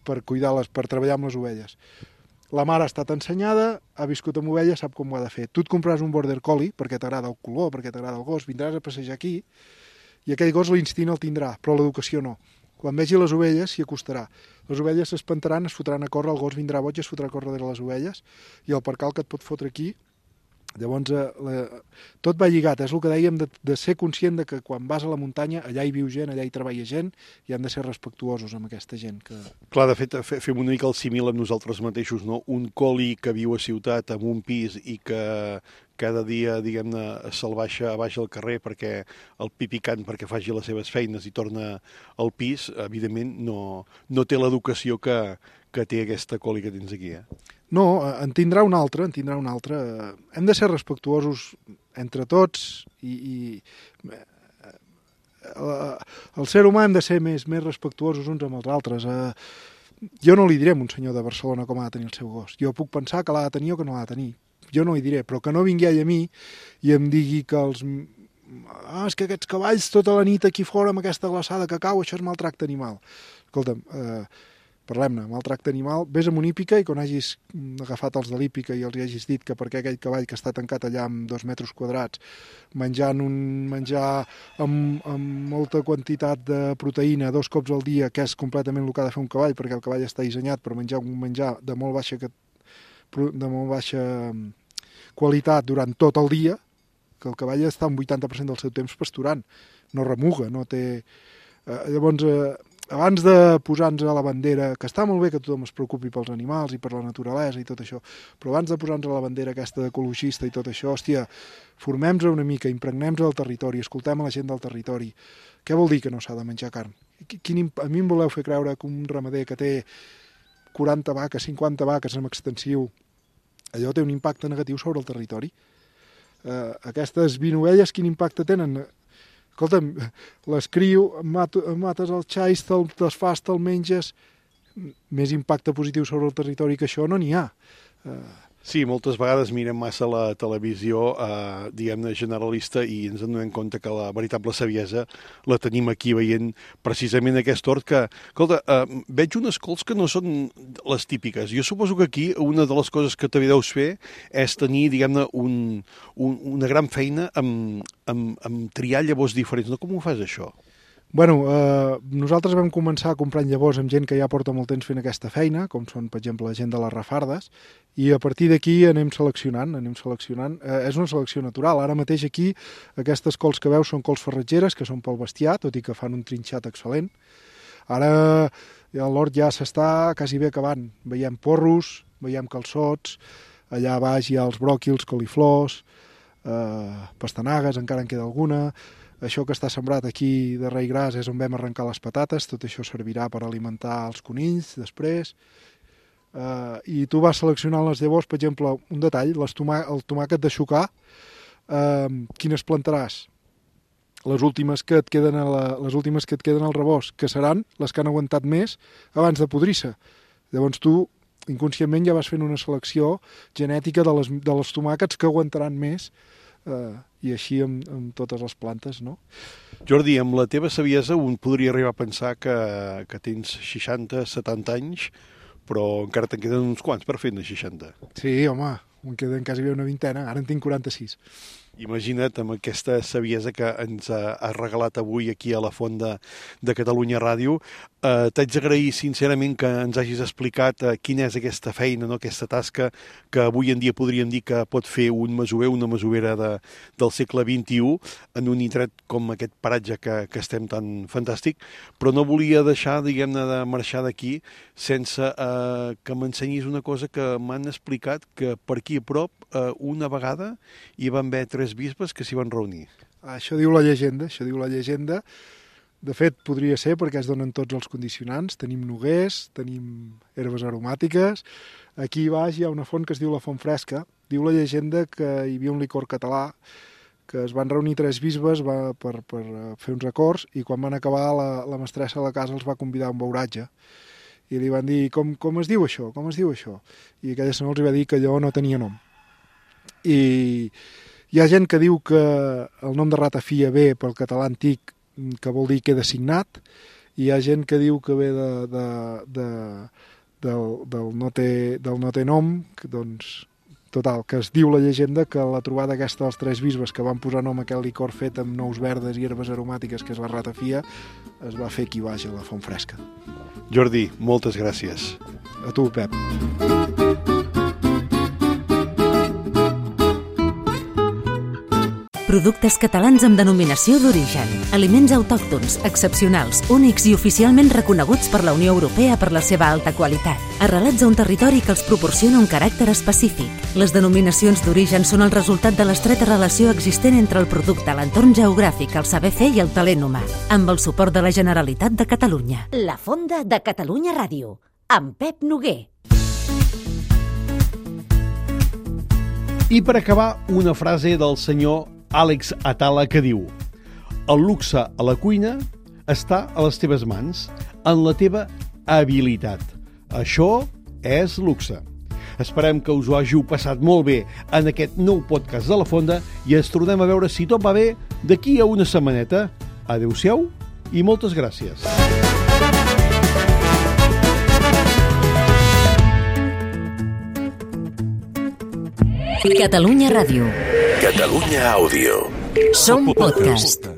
per cuidar les, per treballar amb les ovelles. La mare ha estat ensenyada, ha viscut amb ovelles, sap com ho ha de fer. Tu et compraràs un border collie perquè t'agrada el color, perquè t'agrada el gos, vindràs a passejar aquí i aquell gos l'instint el tindrà, però l'educació no. Quan vegi les ovelles s'hi acostarà. Les ovelles s'espantaran, es fotran a córrer, el gos vindrà boig, es fotrà a córrer darrere les ovelles i el percal que et pot fotre aquí. Llavors, eh, la, tot va lligat, és el que dèiem de, de ser conscient de que quan vas a la muntanya, allà hi viu gent, allà hi treballa gent, i han de ser respectuosos amb aquesta gent. Que... Clar, de fet, fem una mica el símil amb nosaltres mateixos, no? Un collie que viu a ciutat amb un pis i que cada dia, diguem-ne, se'l baixa a baix al carrer perquè el pipicant perquè faci les seves feines i torna al pis, evidentment no, no té l'educació que, que té aquesta collie que tens aquí, eh? No, en tindrà un altre, en tindrà un altre. Hem de ser respectuosos entre tots i, i el ser humà hem de ser més, més respectuosos uns amb els altres. Jo no li diré a un senyor de Barcelona com ha de tenir el seu gos. Jo puc pensar que l'ha de tenir o que no l'ha de tenir. Jo no li diré, però que no vingui ell a mi i em digui que els... Ah, és que aquests cavalls tota la nit aquí fora amb aquesta glaçada que cau, això és maltracte animal. Escolta'm, eh, parlem-ne, maltracte animal, vés amb una hípica i quan hagis agafat els de l'hípica i els hagis dit que perquè aquell cavall que està tancat allà amb dos metres quadrats, menjant un menjar amb, amb molta quantitat de proteïna dos cops al dia, que és completament el que ha de fer un cavall, perquè el cavall està dissenyat per menjar un menjar de molt baixa, de molt baixa qualitat durant tot el dia, que el cavall està un vuitanta per cent del seu temps pasturant, no remuga, no té... Eh, llavors... Eh, abans de posar-nos a la bandera, que està molt bé que tothom es preocupi pels animals i per la naturalesa i tot això, però abans de posar-nos a la bandera aquesta d'ecologista i tot això, hòstia, formem-nos una mica, impregnem-nos del territori, escoltem a la gent del territori. Què vol dir que no s'ha de menjar carn? Quin, a mi em voleu fer creure que un ramader que té quaranta vaques, cinquanta vaques en extensiu, allò té un impacte negatiu sobre el territori? Eh, aquestes vint ovelles, quin impacte tenen? Escolta'm, les crio, mates el xais, te'l desfas, te'l menges, més impacte positiu sobre el territori que això no n'hi ha. Sí, moltes vegades mirem massa la televisió, eh, diguem-ne, generalista i ens adonem compte que la veritable saviesa la tenim aquí veient precisament aquest hort que, escolta, eh, veig unes cols que no són les típiques. Jo suposo que aquí una de les coses que també deus fer és tenir, diguem-ne, un, un, una gran feina amb, amb, amb triar llavors diferents. No? Com ho fas, això? Bueno, eh, nosaltres vam començar comprant llavors amb gent que ja porta molt temps fent aquesta feina, com són, per exemple, la gent de les Rafardes, i a partir d'aquí anem seleccionant, anem seleccionant. Eh, és una selecció natural. Ara mateix aquí aquestes cols que veus són cols farratgeres, que són pel bestiar, tot i que fan un trinxat excel·lent. Ara l'hort ja s'està quasi bé acabant. Veiem porros, veiem calçots, allà baix hi ha els bròquils, coliflors, eh, pastanagues, encara en queda alguna. Això que està sembrat aquí de rei gras és on vam arrencar les patates, tot això servirà per alimentar els conills després. Uh, I tu vas seleccionant les llavors, per exemple, un detall, les tomà el tomàquet de xucar, uh, quines plantaràs? les últimes que et queden a la, les últimes que et queden al rebost, que seran les que han aguantat més abans de podrir-se. Llavors tu, inconscientment, ja vas fent una selecció genètica de les, de les tomàquets que aguantaran més, eh, i així amb, amb totes les plantes, no? Jordi, amb la teva saviesa un podria arribar a pensar que, que tens seixanta, setanta anys, però encara te'n queden uns quants per fer-ne seixanta. Sí, home, em queden quasi bé una vintena, ara en tinc quaranta-sis. Imagina't amb aquesta saviesa que ens ha, ha regalat avui aquí a la Font de, de Catalunya Ràdio. Eh, T'haig d'agrair sincerament que ens hagis explicat eh, quina és aquesta feina, no? Aquesta tasca que avui en dia podríem dir que pot fer un masover, una masovera de, del segle vint-i-u en un indret com aquest paratge que, que estem tan fantàstic, però no volia deixar, diguem-ne, de marxar d'aquí sense eh, que m'ensenyis una cosa que m'han explicat, que per aquí a prop eh, una vegada hi van haver tres bisbes que s'hi van reunir. Això diu la llegenda, això diu la llegenda. De fet, podria ser perquè es donen tots els condicionants. Tenim noguers, tenim herbes aromàtiques. Aquí baix hi ha una font que es diu la Font Fresca. Diu la llegenda que hi havia un licor català, que es van reunir tres bisbes va, per, per fer uns acords, i quan van acabar la, la mestressa de la casa els va convidar a un beuratge. I li van dir, com, com es diu això? Com es diu això? I aquella senyora els va dir que allò no tenia nom. I hi ha gent que diu que el nom de ratafia ve pel català antic, que vol dir queda signat, i hi ha gent que diu que ve de, de, de, del, del, no té, del no té nom, que, doncs, total, que es diu la llegenda que la trobada aquesta dels tres bisbes que van posar nom a aquest licor fet amb nous verdes i herbes aromàtiques, que és la ratafia, es va fer aquí baix a la Font Fresca. Jordi, moltes gràcies. A tu, Pep. Productes catalans amb denominació d'origen. Aliments autòctons, excepcionals, únics i oficialment reconeguts per la Unió Europea per la seva alta qualitat. Arrelats a un territori que els proporciona un caràcter específic. Les denominacions d'origen són el resultat de l'estreta relació existent entre el producte, l'entorn geogràfic, el saber fer i el talent humà. Amb el suport de la Generalitat de Catalunya. La Fonda de Catalunya Ràdio, amb Pep Noguer. I per acabar, una frase del senyor Àlex Atala que diu: el luxe a la cuina està a les teves mans, en la teva habilitat. Això és luxe. Esperem que us ho hàgiu passat molt bé en aquest nou podcast de La Fonda i ens tornem a veure, si tot va bé, d'aquí a una setmaneta. Adéu-siau i moltes gràcies. Catalunya Ràdio. Catalunya Àudio. Som podcast.